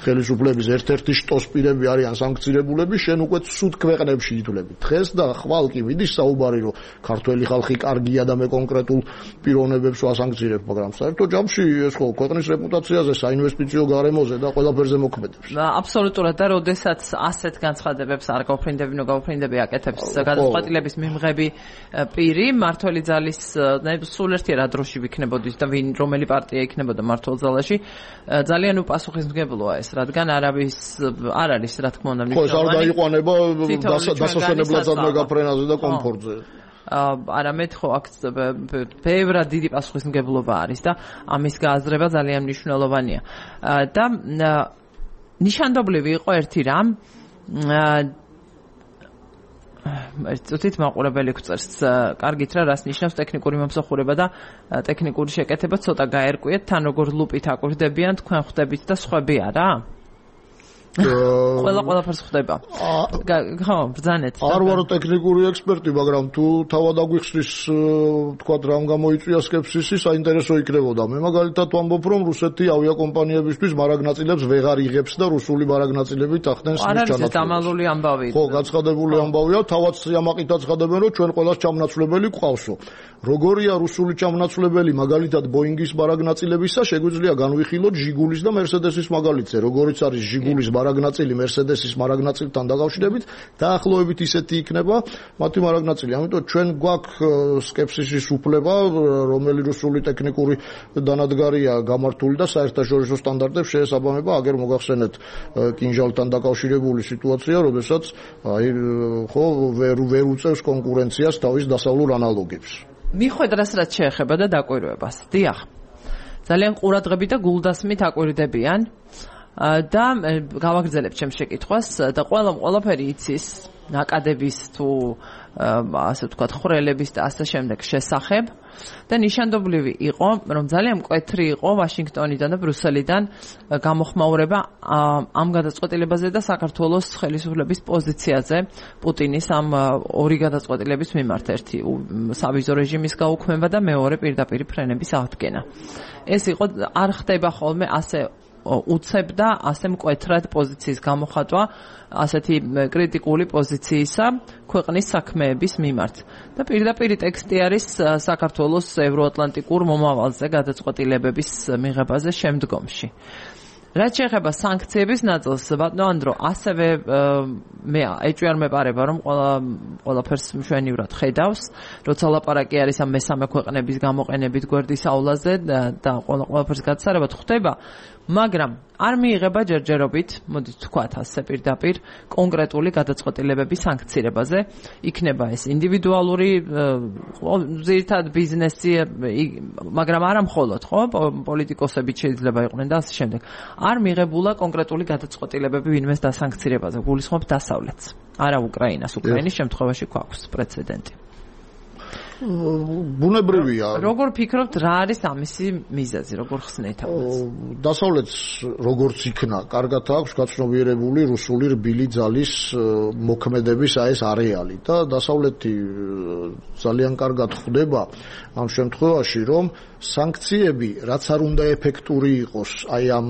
ხელისუფლების ერთ-ერთი შტოსპირები არიან სანქცირებულები, შენ უკვე ცუდ ქვეყნებში ითვლები. დღეს და ხვალ კი მიდის საუბარი, რომ ქართველი ხალხი კარგია და მე კონკრეტულ პიროვნებებს ვასანქცირებ, მაგრამ საერთო ჯამში ეს ხო ქვეყნის რეპუტაციაზე, საინვესტიციო გარემოზე და ყველაფერზე მოქმედებს. აბსოლუტურად და როდესაც ასეთ განცხადებებს არ გავფრინდები, ნუ გავფრინდები აკეთებს გადაწყვეტილების მიმღები პირი, მართველი ძალის სულ ერთია დროში ვიქნებოდის და ვინ რომელი პარტია იქნებოდა მართლ ძალაში, ძალიან უპასუხისმგებლოა ეს, რადგან არავის არ არის, რა თქმა უნდა, მნიშვნელოვანი. ხო, ეს არ დაიყვანება დასასვენებლად მეგაფრენაზე და კომფორტზე. არამედ ხო აქ ბევრად დიდი პასუხისმგებლობა არის და ამის გააზრება ძალიან მნიშვნელოვანია. და ნიშანდობლივი იყო ერთი რამ, წუთით მაყურებელი გვწერს, კარგით რა, რას ნიშნავს ტექნიკური მომსახურება და ტექნიკური შეკეთება, ცოტა გაერკვიეთ, თან როგორ ლუპით აკვირდებიან, თქვენ ხვდებით და სხვები არა? ყველა ყველაფერს ხვდება. ხო, ბრძანეთ. არ ვარ ტექნიკური ექსპერტი, მაგრამ თუ თავად აგვიხსნის, თქვა რამ გამოიწვია სკეპსისი, საინტერესო იქნებოდა. მე მაგალითად ვამბობ, რომ რუსეთი ავიაკომპანიებისთვის მარაგნაწილებს ვეღარ იღებს და რუსული მარაგნაწილებით ახდენს მის ჩანაცვლებას. არ არის დამალული ამბავი. ხო, გაცხადებული ამბავია, თავად სიამაყითაც ხადებენ, რომ ჩვენ ყველას ჩამნაცვლებელი გვყავსო. როგორია რუსული ჩამნაცვლებელი მაგალითად ბოინგის მარაგნაწილებისა, შეგვიძლია განვიხილოთ ჟიგულის და მერსედესის მაგალითზე. როგორიც არის ჟიგულის მარაგნაწილი მერსედესის მარაგნაწილთან დაკავშირებით, დაახლოებით ისეთი იქნება მათი მარაგნაწილი. ამიტომ ჩვენ გვაქვს სკეპსისის უფლება, რომელი რუსული ტექნიკური დანადგარია გამართული და საერთაშორისო სტანდარტებს შეესაბამება. აგერ მოგახსენეთ კინჟალთან დაკავშირებული სიტუაცია, როდესაც აი ხო ვერ ვერ უწევს კონკურენციას თავის დასავლურ ანალოგებს. მიხვედრას რაც შეეხება და დაკვირვებას. დიახ. ძალიან ყურადღებით და გულდასმით აკვირდებიან. და გავაგრძელებ ჩემს შეკითხვას და ყველა ყველაფერი იცის ნაკადების თუ ასე ვთქვათ ხრელების და ასე შემდეგ შესახებ და ნიშანდობლივი იყო რომ ძალიან მკვეთრი იყო ვაშინგტონიდან და ბრიუსელიდან გამოხმაურება ამ გადაწყვეტილებაზე და საქართველოს ხელისუფლების პოზიციაზე პუტინის ამ ორი გადაწყვეტილების მიმართ, ერთი სავიზო რეჟიმის გაუქმება და მეორე პირდაპირ ფრენების აღდგენა. ეს იყო არ ხდება ხოლმე ასე უცებ და ასე მკვეთრად პოზიციის გამოხატვა ასეთი კრიტიკული პოზიციისა ქვეყნის საქმეების მიმართ. და პირდაპირ ტექსტი არის საქართველოს ევროატლანტიკურ მომავალზე გადაწყვეტილებების მიღებაზე შემდგომში. რაც შეეხება სანქციების ნაწილს, ბატონო ანდრო, ასევე მე ეჭვი არ მეპარება, რომ ყველა ყველაფერს მშვენივრად ხედავს, როცა ლაპარაკი არის ამ მესამე ქვეყნების გამოყენებით გვერდის აულაზე და ყველაფერს გაცარებად ხდება, მაგრამ არ მიიღება ჯერჯერობით, მოდით ვთქვათ ასე პირდაპირ, კონკრეტული გადაწყვეტილებების სანქცირებაზე. იქნება ეს ინდივიდუალური, ძირითად ბიზნესი, მაგრამ არა მხოლოდ, ხო, პოლიტიკოსებიც შეიძლება იყვნენ და ასე შემდეგ. არ მიღებულა კონკრეტული გადაწყვეტილებები ვინმეს დასანქცირებაზე, გულისხმობ დასავლეთს. არა უკრაინას, უკრაინის შემთხვევაში გვაქვს პრეცედენტი. ბუნებრივია. როგორ ფიქრობთ, რა არის ამისი მიზეზი, როგორ ხსნით ამას? დასავლეთს როგორც იქნა, კარგად აქვს გაცნობიერებული რუსული რბილი ძალის მოქმედების აი ეს არეალი და დასავლეთი ძალიან კარგად ხვდება ამ შემთხვევაში, რომ სანქციები, რაც არ უნდა ეფექტური იყოს აი ამ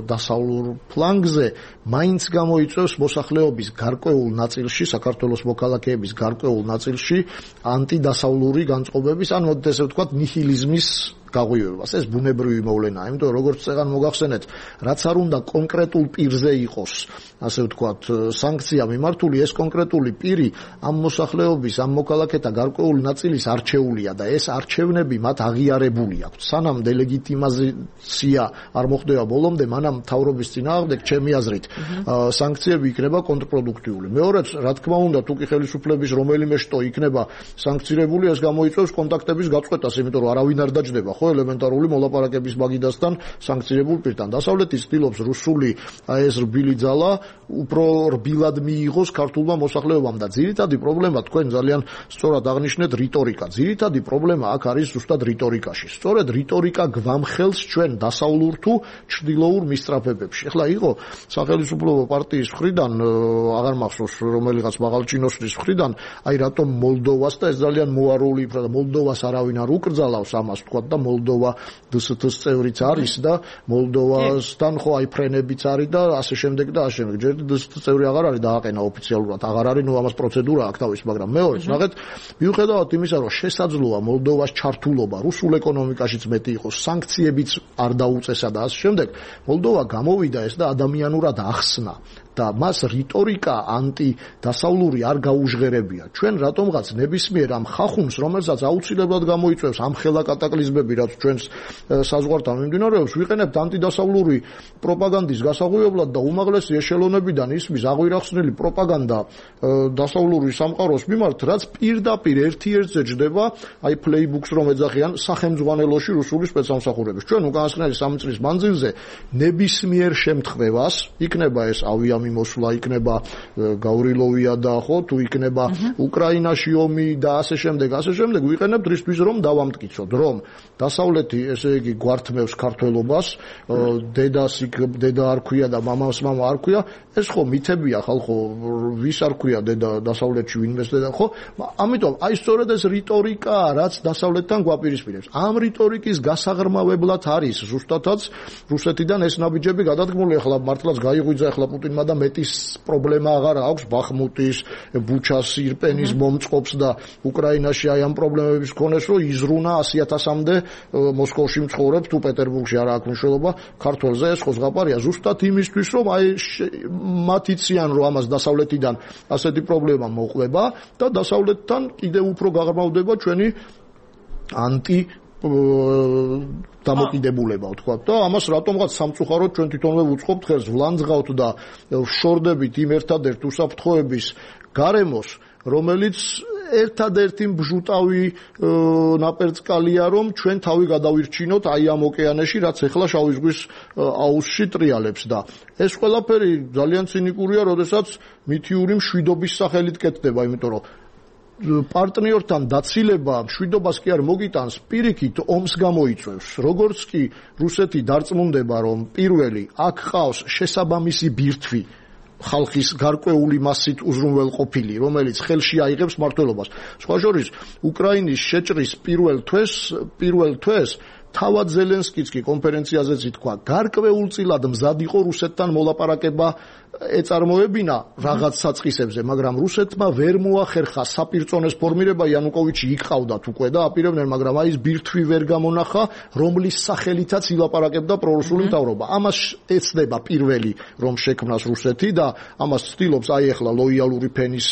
დასავლურ ფლანგზე, მაინც გამოიწვევს მოსახლეობის გარკვეულ ნაწილში, საქართველოს მოქალაქეების გარკვეულ ნაწილში ანტიდასავლური განწყობების, ან მოდით ესე ვთქვათ, ნიჰილიზმის გაღვივებას. ეს ბუნებრივი მოვლენაა, იმიტომ რომ როგორც წეგან მოგახსენეთ, რაც არ უნდა კონკრეტულ პირზე იყოს, ასე ვთქვათ, სანქცია მიმართული, ეს კონკრეტული პირი ამ მოსახლეობის, ამ მოქალაქეთა გარკვეული ნაწილის არჩეულია და ეს არჩევნები მათ აღიარებული აქვთ. სანამ დელეგიტიმიზაცია არ მოხდება ბოლომდე, მანამ მთავრობის წინააღმდეგ, ჩემი აზრით, სანქციები იქნება კონტრპროდუქტიული. მეორეც, რა თქმა უნდა, თუ კი ხელისუფლების რომელიმე შტო იქნება სანქცირებული, ეს გამოიწვევს კონტაქტების გაწყვეტას, იმიტომ რომ არავინ არ დაჯდება ხო ელემენტარული მოლაპარაკების მაგიდასთან სანქცირებულ პირთან. დასავლეთი ცდილობს რუსული ეს რბილი ძალა უფრო რბილად მიიღოს ქართულმა მოსახლეობამ და ძირითადი პრობლემა თქვენ ძალიან სწორად აღნიშნეთ რიტორიკა. ძირითადი პრობლემა აქ არის ზუსტად რიტორიკაში. სწორედ რიტორიკა გვამხელს ჩვენ დასავლურ თუ ჩრდილოურ მისწრაფებებში. ეხლა იყო სახელმწიფო პარტიის მხრიდან, აღარ მახსოვს რომელიღაც მაღალჩინოსნის მხრიდან, აი რატომ მოლდოვას და ეს ძალიან მოარული იქნა და მოლდოვას არავინ არ უკრძალავს ამას თქვა და მოლდოვა დსთ-ს წევრიც არის და მოლდოვასთან ხო აი ფრენებიც არის და ასე შემდეგ და ასე შემდეგ. ჯერ დსთ-ს წევრი აღარ არის დააყენა ოფიციალურად, აღარ არის, ნუ ამას პროცედურა აქვს თავის, მაგრამ მეორეც, ნახეთ, მიუხედავად იმისა, რომ შესაძლოა მოლდოვას ჩართულობა რუსულ ეკონომიკაშიც მეტი იყოს, სანქციებიც არ დაუწესა და ასე შემდეგ, მოლდოვა გამოვიდა ეს და ადამიანურად ახსნა. და მას რიტორიკა ანტიდასავლური არ გაუჟღერებია. ჩვენ რატომღაც ნებისმიერ ამ ხახუნს, რომელსაც აუცილებლად გამოიწვევს ამ ხელა კატაკლიზმები, რაც ჩვენს საზღვართან მიმდინარეობს, ვიყენებთ ანტიდასავლური პროპაგანდის გასაღვივებლად და უმაღლესი ეშელონებიდან ისმის აღვირახსნილი პროპაგანდა დასავლური სამყაროს მიმართ, რაც პირდაპირ ერთ-ერთზე ჯდება, აი პლეიბუქს რომ ეძახიან სახელმძღვანელოში რუსული სპეცსამსახურების. ჩვენ უკანასკნელი სამი წლის მანძილზე ნებისმიერ შემთხვევას, იქნება ეს ავია მოსვლა, იქნება გავრილოვია და ხო თუ იქნება უკრაინაში ომი და ასე შემდეგ, ასე შემდეგ ვიყენებთ რისთვის რომ დავამტკიცოთ, რომ დასავლეთი ესე იგი გვართმევს ქართველობას, დედას იქ დედა არ ქვია და მამას მამა არ ქვია, ეს ხო მითებია ხალხო, ვის არ ქვია დედა დასავლეთში ვინმეს დედა, ხო? ამიტომ აი სწორედ ეს რიტორიკაა, რაც დასავლეთთან გვაპირისპირებს. ამ რიტორიკის გასაღრმავებლად არის ზუსტადაც რუსეთიდან ეს ნაბიჯები გადადგმული. ახლა მართლაც გაიღვიძა ახლა პუტინმა და მეტის პრობლემა აღარ აქვს ბახმუტის, ბუჩას, ირპენის მომწყობს და უკრაინაში აი ამ პრობლემების მქონეს, რომ იზრუნა ასი ათასამდე მოსკოვში მცხოვრებს თუ პეტერბურგში არა აქვს მნიშვნელობა ქართველზე, ეს ხო ზღაპარია ზუსტად იმისთვის, რომ აი მათ იციან, რომ ამას დასავლეთიდან ასეთი პრობლემა მოყვება და დასავლეთთან კიდევ უფრო გაღრმავდება ჩვენი ანტი დამოკიდებულება ვთქვა და ამას რატომღაც სამწუხაროდ ჩვენ თვითონვე ვუწყობთ ხელს, ვლანძღავთ და ვშორდებით იმ ერთადერთ უსაფრთხოების გარემოს, რომელიც ერთადერთი ბჟუტავი ნაპერწკალია, რომ ჩვენ თავი გადავირჩინოთ აი ამ ოკეანეში, რაც ეხლა შავი ზღვის აუზში ტრიალებს და ეს ყველაფერი ძალიან ცინიკურია, როდესაც მითიური მშვიდობის სახელით კეთდება, იმიტომ რომ პარტნიორთან დაცილება მშვიდობას კი არ მოგიტანს, პირიქით ომს გამოიწვევს. როგორც კი რუსეთი დარწმუნდება, რომ პირველი აქ ყავს შესაბამისი ბირთვი ხალხის გარკვეული მასით უზრუნველყოფილი, რომელიც ხელში აიღებს მმართველობას. სხვა შორის, უკრაინის შეჭრის პირველ თვეს, პირველ თვეს თავად ზელენსკიც კი კონფერენციაზეც ითქვა, გარკვეულწილად მზად იყო რუსეთთან მოლაპარაკება ეწარმოებინა რაღაც საწყისებზე, მაგრამ რუსეთმა ვერ მოახერხა საპირწონეს ფორმირება, იანუკოვიჩი იყავდათ უკვე და აპირებდნენ, მაგრამ აი ეს ბირთვი ვერ გამონახა, რომლის სახელითაც ილაპარაკებდა პრორუსული მთავრობა. ამას ეცდება პირველი, რომ შექმნას რუსეთი და ამას ცდილობს აი ახლა ლოიალური ფენის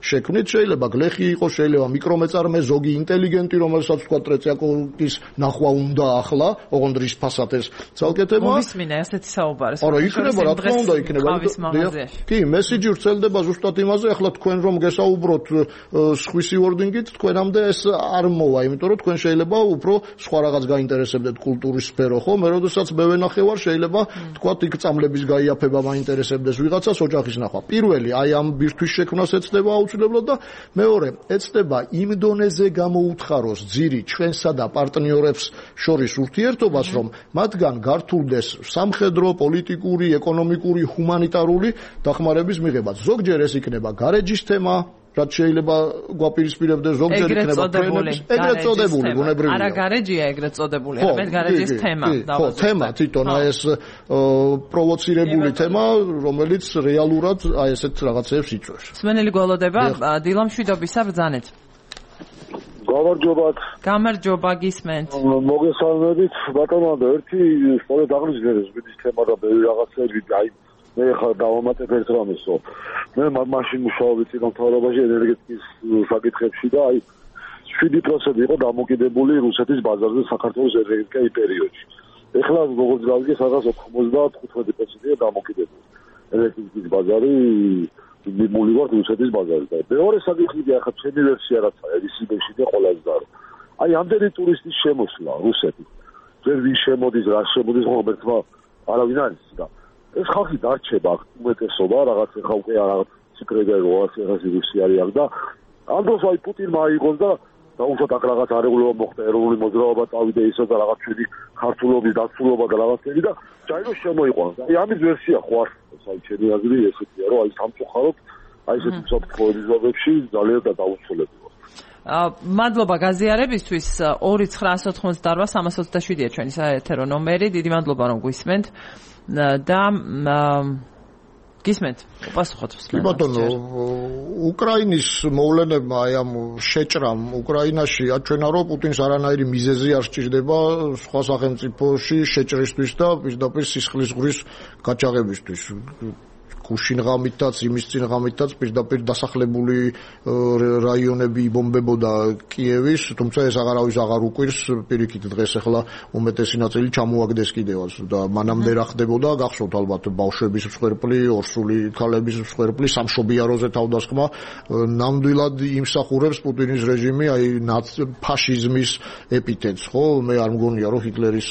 შექმნით, შეიძლება გლეხი იყოს, შეიძლება მიკრომეწარმე, ზოგი ინტელიგენტი, რომელსაც თქვა ტრეციაკოვის ნახვა უნდა და ახლა, ოღონდ რის ფასად ეს ცალკე თემაა. მოვისმინე ასეთი საუბარი. არა, იქნება, რა თქმა უნდა, იქნება. კი, მესიჯი ვრცელდება ზუსტად იმაზე, ახლა თქვენ რომ გესაუბროთ სხვისი ვორდინგით, თქვენამდე ეს არ მოვა, იმიტომ რომ თქვენ შეიძლება უფრო სხვა რაღაც გაინტერესებდეთ კულტურის სფერო, ხო? მე როდესაც მე ვენახევარ, შეიძლება თქვათ იქ წამლების გაიაფება მაინტერესებდეს ვიღაცას ოჯახის ნახვა. პირველი, აი ამ ბირთვის შექმნას ეცდება აუცილებლად და მეორე, ეცდება იმ დონეზე გამოუთხაროს ძირი ჩვენსა და პარტნიორებს შორის ურთიერთობას, რომ მათგან გართულდეს სამხედრო, პოლიტიკური, ეკონომიკური, ჰუმანიტარული დახმარების მიღება. ზოგჯერ ეს იქნება გარეჯის თემა, რაც შეიძლება გვაპირისპირებდეს, ზოგჯერ იქნება ფრენების, ეგრეთ წოდებული, ბუნებრივია. არა გარეჯია ეგრეთ წოდებული, არამედ გარეჯის თემა დავაზუსტეთ. ხო, თემა თვითონ აი ეს პროვოცირებული თემა, რომელიც რეალურად აი ესეთ რაღაცებს იწვევს. სმენელი გველოდება დილამშვიდობისა ბრძანეთ. გამარჯობათ. გამარჯობა, გისმენთ. მოგესალმებით, ბატონო, ერთი სწორედ აღნიშნეს ბიძის თემა და ბევრი რაღაცები, აი მე ხარ დავამატებ ერთ რამესო. მე მაშინ მუშაობდი წინამთავრობაში ენერგეტიკის საკითხებში და აი შვიდი პროცენტი იყო დამოკიდებული რუსეთის ბაზარზე საქართველოს ენერგეტიკა იმ პერიოდში. ეხლა როგორც გავიგე, სადღაც ოცდათხუთმეტი პროცენტია დამოკიდებული. ენერგეტიკის ბაზარი მიმული ვარ რუსეთის ბაზარზე. მეორე საკითხია, ახლა ჩემი ვერსია რაცა ედისიბეში და ყველაზე ძარო. აი ამდენი ტურისტის შემოსვლა რუსეთის. ვერ ვინ შემოდის, რა შემოდის, ხომ არავინ არის და ეს ხალხი დარჩება უმეტესობა რაღაც ხა უკვე რაღაც სიკრეტი როას რაღაც რუსი არის აქ და ამ დროს აი პუტინმა აიღოს და დაუშვათ აქ რაღაც არეგულირება მოხდა ეროვნული მოძრაობა წავიდა ისო და რაღაც ჩვენი ქართულობის დაცულობა და რაღაცები და ჯაირო შემოიყვანს. აი ამის ვერსია ხო არ აი ჩემი აზრი ესეთია რომ აი სამწუხაროდ აი ესეთი საფრთხეების ზონებში ძალიან და დაუცველებია. მადლობა გაზიარებისთვის. ორი ცხრაას ოთხმოცდაოთხ სამას ოცდაშვიდია ჩვენი საეთერო ნომერი. დიდი მადლობა რომ გვისმენთ და გისმენთ უპასუხოთ მსმენელს. ბატონო, უკრაინის მოვლენებმა აი ამ შეჭრამ უკრაინაში აჩვენა რომ პუტინს არანაირი მიზეზი არ სჭირდება სხვა სახელმწიფოში შეჭრისთვის და პირდაპირ სისხლის ზღვრის გაჩაღებისთვის. გუშინ ღამითაც, იმის წინ ღამითაც პირდაპირ დასახლებული რაიონები იბომბებოდა კიევის, თუმცა ეს აღარავის აღარ უკვირს, პირიქით დღეს ახლა უმეტესი ნაწილი ჩამოაგდეს კიდევაც და მანამდე რა ხდებოდა, გახსოვთ ალბათ ბავშვების მსხვერპლი, ორსული ქალების მსხვერპლი, სამშობიაროზე თავდასხმა, ნამდვილად იმსახურებს პუტინის რეჟიმი აი ფაშიზმის ეპითეტს, ხო? მე არ მგონია რომ ჰიტლერის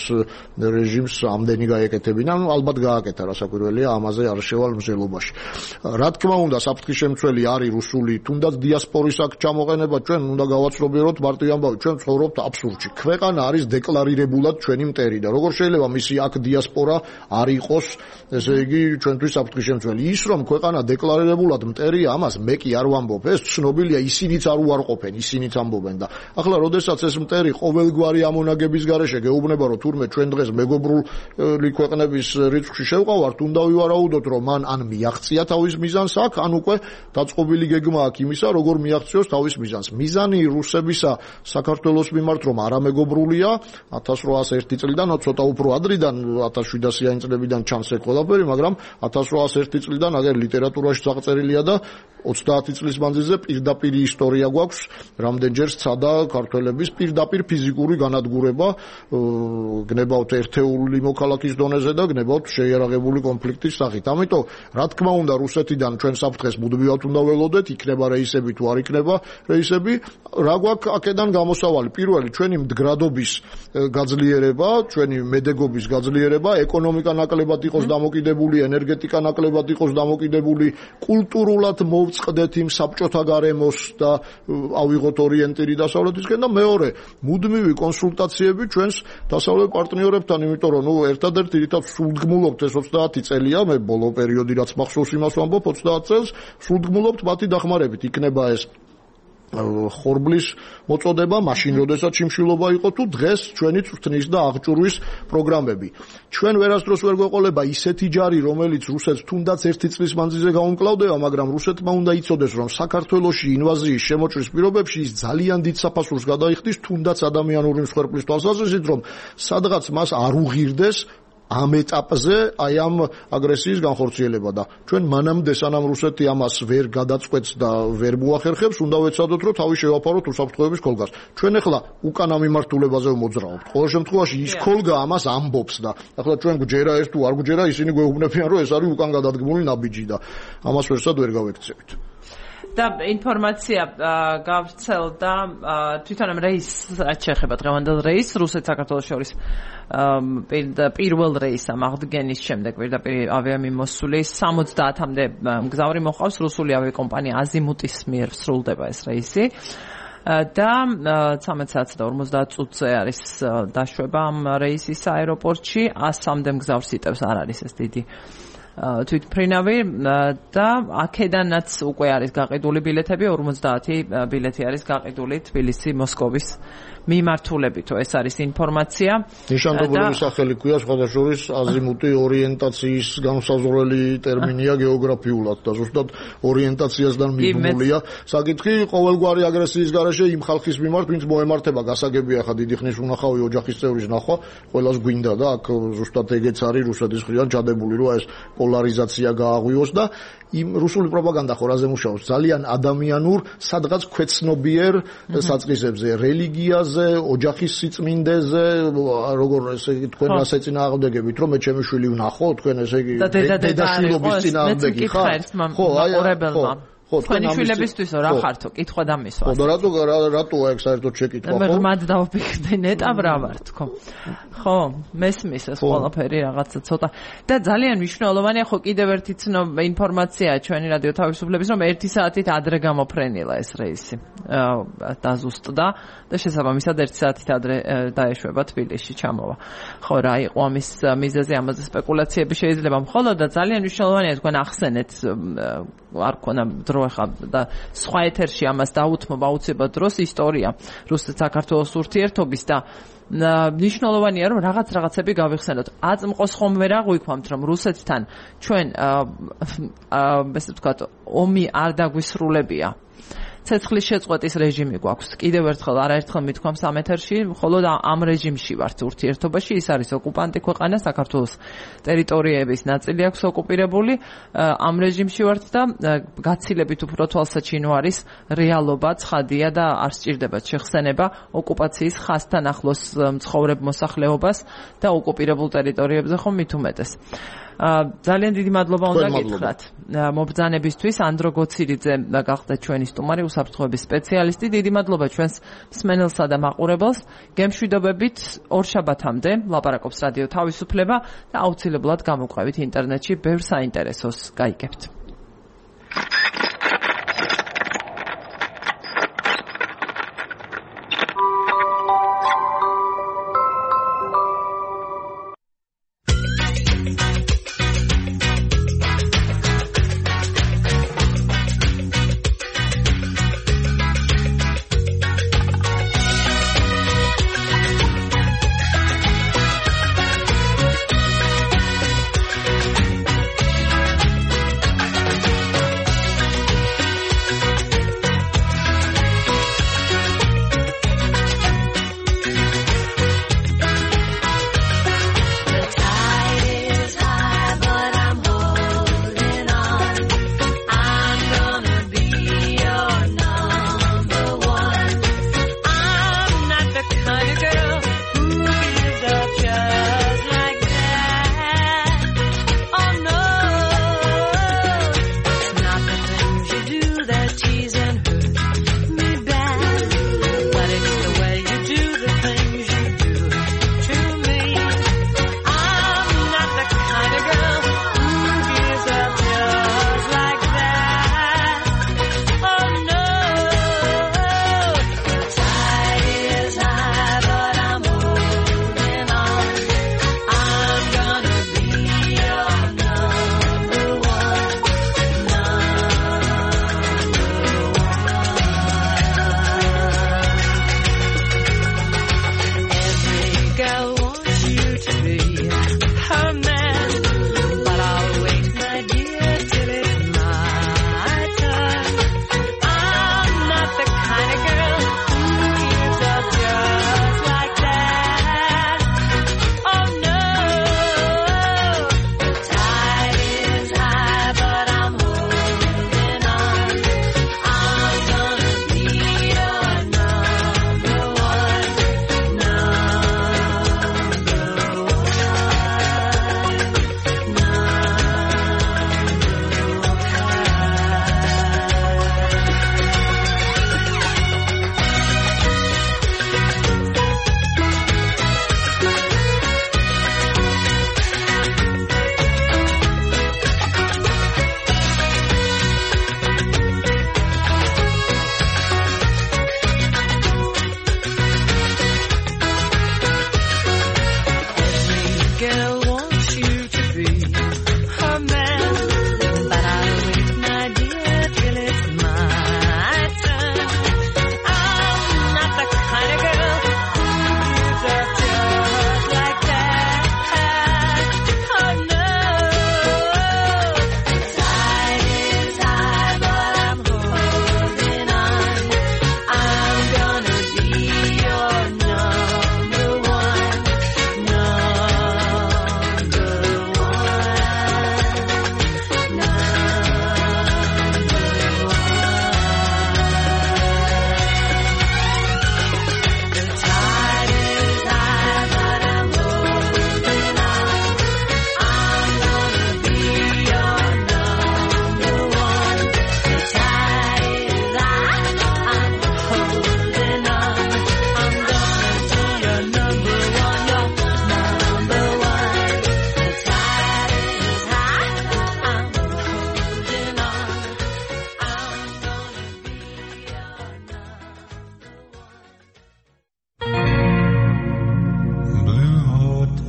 რეჟიმს ამდენი გაეკეთებინა, ალბათ გააკეთა, რასაკვირველია, ამაზე არ შევალ მზელო რა თქმა უნდა, საფრთხის შემცველი არის რუსული, თუნდაც დიასპორის აქ ჩამოყენება, ჩვენ უნდა გავაცნობიეროთ მარტივ ამბავი, ჩვენ ცხოვრობთ აბსურდში. ქვეყანა არის დეკლარირებულად ჩვენი მტერი და როგორ შეიძლება მისი აქ დიასპორა არ იყოს, ესე იგი, ჩვენთვის საფრთხის შემცველი. ის რომ ქვეყანა დეკლარირებულად მტერია, ამას მე კი არ ვამბობ, ეს ცნობილია, ისინიც არ უარყოფენ, ისინიც ამბობენ და ახლა როდესაც ეს მტერი ყოველგვარი ამონაგების გარეშე გეუბნება, რომ თურმე ჩვენ დღეს მეგობრული ქვეყნების რიცხვში შევყავართ, უნდა ვივარაუდოთ, რომ მან ან მიაღწია თავის მიზანს აქ, ან უკვე დაწყობილი გეგმა აქვს იმისა, როგორ მიაღწიოს თავის მიზანს. მიზანი რუსებისა საქართველოს მიმართ რომ არამეგობრულია, ათას რვაას ერთი წლიდან, ცოტა უფრო ადრიდან, ათას შვიდასიანი წლებიდან ჩანს ეს ყველაფერი, მაგრამ ათას რვაას ერთი წლიდან აგერ ლიტერატურაში წაღწერილია და ოცდაათი წლის მანძილზე პირდაპირ ისტორია გვაქვს, რამდენჯერ სცადა ქართველების პირდაპირ ფიზიკური განადგურება, გნებავთ ერთეული მოქალაქის დონეზე და გნებავთ შეიარაღებული კონფლიქტის სახით. ამიტომ რა თქმა უნდა რუსეთიდან ჩვენ საფრთხეს მუდმივად უნდა ველოდეთ, იქნება რეისები თუ არ იქნება რეისები, რა გვაქვს აქედან გამოსავალი. პირველი ჩვენი მდგრადობის გაძლიერება, ჩვენი მედეგობის გაძლიერება, ეკონომიკა ნაკლებად იყოს დამოკიდებული, ენერგეტიკა ნაკლებად იყოს დამოკიდებული, კულტურულად მოვწყდეთ იმ საბჭოთა გარემოს და ავიღოთ ორიენტირი დასავლეთისკენ და მეორე, მუდმივი კონსულტაციები ჩვენს დასავლეთ პარტნიორებთან, იმიტომ რომ ნუ ერთადერთი რითაც სულდგმულობთ ეს ოცდაათი წელია, მე ბოლო პერიოდი რაც მახსოვს იმას ვამბობ ოცდაათ წელს, სულდგმულობთ მათი დახმარებით. იქნება ეს ხორბლის მოწოდება, მაშინ როდესაც შიმშილობა იყო თუ დღეს ჩვენი წვრთნის და აღჭურვის პროგრამები. ჩვენ ვერასდროს ვერ გვეყოლება ისეთი ჯარი, რომელიც რუსეთს თუნდაც ერთი წლის მანძილზე გაუმკლავდება, მაგრამ რუსეთმა უნდა იცოდეს, რომ საქართველოში ინვაზიის შემოჭრის პირობებში ის ძალიან დიდ საფასურს გადაიხდის, თუნდაც ადამიანური მსხვერპლის თვალსაზრისით, რომ სადღაც მას არ უღირდეს ამ ეტაპზე აი ამ აგრესიის განხორციელება და ჩვენ მანამდე სანამ რუსეთი ამას ვერ გადაწყვეტს და ვერ მოახერხებს, უნდა ვეცადოთ, რომ თავი შევაფაროთ უსაფრთხოების ქოლგას. ჩვენ ახლა უკანა მიმართულებაზე მოძრაობთ. ყოველ შემთხვევაში ის ქოლგა ამას ამბობს და ახლა ჩვენ გვჯერა ეს თუ არ გვჯერა, ისინი გვეუბნებიან, რომ ეს არის უკან გადადგმული ნაბიჯი და ამას ვერსად ვერ გავექცევით. და ინფორმაცია გავრცელდა თვითონ ამ რეისს რაც შეეხება დღევანდელ რეისს რუსეთ საქართველოს შორის პირველ რეისს ამ აღდგენის შემდეგ პირდაპირ ავიამიმოსვლის სამოცდაათამდე მგზავრი მოყავს რუსული ავიაკომპანია აზიმუტის მიერ სრულდება ეს რეისი და ცამეტ საათს და ორმოცდაათ წუთზე არის დაშვება ამ რეისის აეროპორტში ასამდე მგზავრს იტევს არ არის ეს დიდი თვითმფრინავი და აქედანაც უკვე არის გაყიდული ბილეთები ორმოცდაათი ბილეთი არის გაყიდული თბილისი მოსკოვის მიმართულებით ეს არის ინფორმაცია ნიშანდობლივი სახელი ქვია სხვადასხვის აზიმუტი ორიენტაციის განსაზღვრელი ტერმინია გეოგრაფიულად და ზუსტად ორიენტაციასთან მიბმულია საკითხი ყოველგვარი აგრესიის გარეშე იმ ხალხის მიმართ ვინც მოემართება გასაგებია ხა დიდი ხნის უნახავი ოჯახის წევრის ნახვა ყველას გვინდა და აქ ზუსტად ეგეც არის რუსეთის მხრიდან ჩადებული რომ ეს პოლარიზაცია გააღვიოს და იმ რუსული პროპაგანდა ხორაზე მუშაობს ძალიან ადამიანურ სადღაც ქვეცნობიერ საწყისებზე რელიგიაზე ოჯახის სიწმინდეზე როგორ ესე იგი თქვენ რას ეწინააღმდეგებით რომ მე ჩემი შვილი ვნახო თქვენ ესე იგი დედაშვილობის წინააღმდეგი ხარ ხო აი ხო თქვენი შვილებისთვის რა ხართო კითხვა დამისვა ხო და რატო რატოა ეგ საერთოდ შეკითხვა ხო მე მათ დავფიქრდი ნეტა რა ვარ თქო ხო მესმის ეს ყველაფერი რაღაცა ცოტა და ძალიან მნიშვნელოვანია ხო კიდევ ერთი ცნობა ინფორმაცია ჩვენი რადიო თავისუფლების რომ ერთი საათით ადრე გამოფრენილა ეს რეისი დაზუსტდა და შესაბამისად ერთი საათით ადრე დაეშვება თბილისში ჩამოვა ხო რა იყო ამის მიზეზი ამაზე სპეკულაციები შეიძლება მხოლოდ და ძალიან მნიშვნელოვანია თქვენ ახსენეთ არ ქონა დრო ხა და სხვა ეთერში ამას დაუთმობა აუცილებლად დროს ისტორია რუსეთ-საქართველოს ურთიერთობის და ნიშნულოვანია რომ რაღაც რაღაცები გავიხსენოთ. აწმყოს ხომ ვერ აღვიქვამთ რომ რუსეთთან ჩვენ ესე ვთქვათ ომი არ დაგვისრულებია. ცეცხლის შეწყვეტის რეჟიმი გვაქვს. კიდევ ერთხელ არაერთხელ მithქვამ სამეთერში, მხოლოდ ამ რეჟიმში ვართ ურთიერთობაში, ის არის ოკუპანტი ქვეყანა, საქართველოს ტერიტორიების ნაწილი აქვს ოკუპირებული, ამ რეჟიმში ვართ და გაცილებით უფრო თვალსაჩინო არის რეალობა, ცხადია და არ სჭირდებათ შეხსენება ოკუპაციის ხაზთან ახლოს მცხოვრებ მოსახლეობას და ოკუპირებულ ტერიტორიებზე ხომ მით უმეტეს. ძალიან დიდი მადლობა უნდა გითხრათ მობრძანებისთვის ანდრო გოცირიძე გახდა ჩვენი სტუმარი უსაფრთხოების სპეციალისტი დიდი მადლობა ჩვენს მსმენელსა და მაყურებელს გემშვიდობებით ორშაბათამდე ლაპარაკობს რადიო თავისუფლება და აუცილებლად გამოგვყევით ინტერნეტში ბევრ საინტერესოს გაიგებთ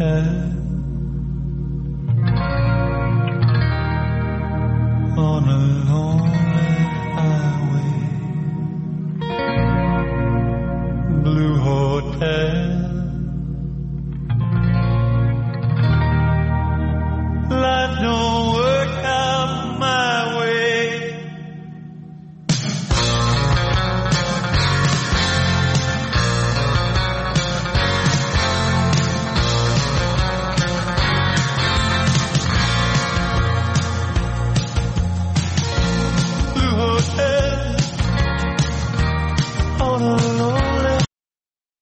head on a lonely highway, blue hotel.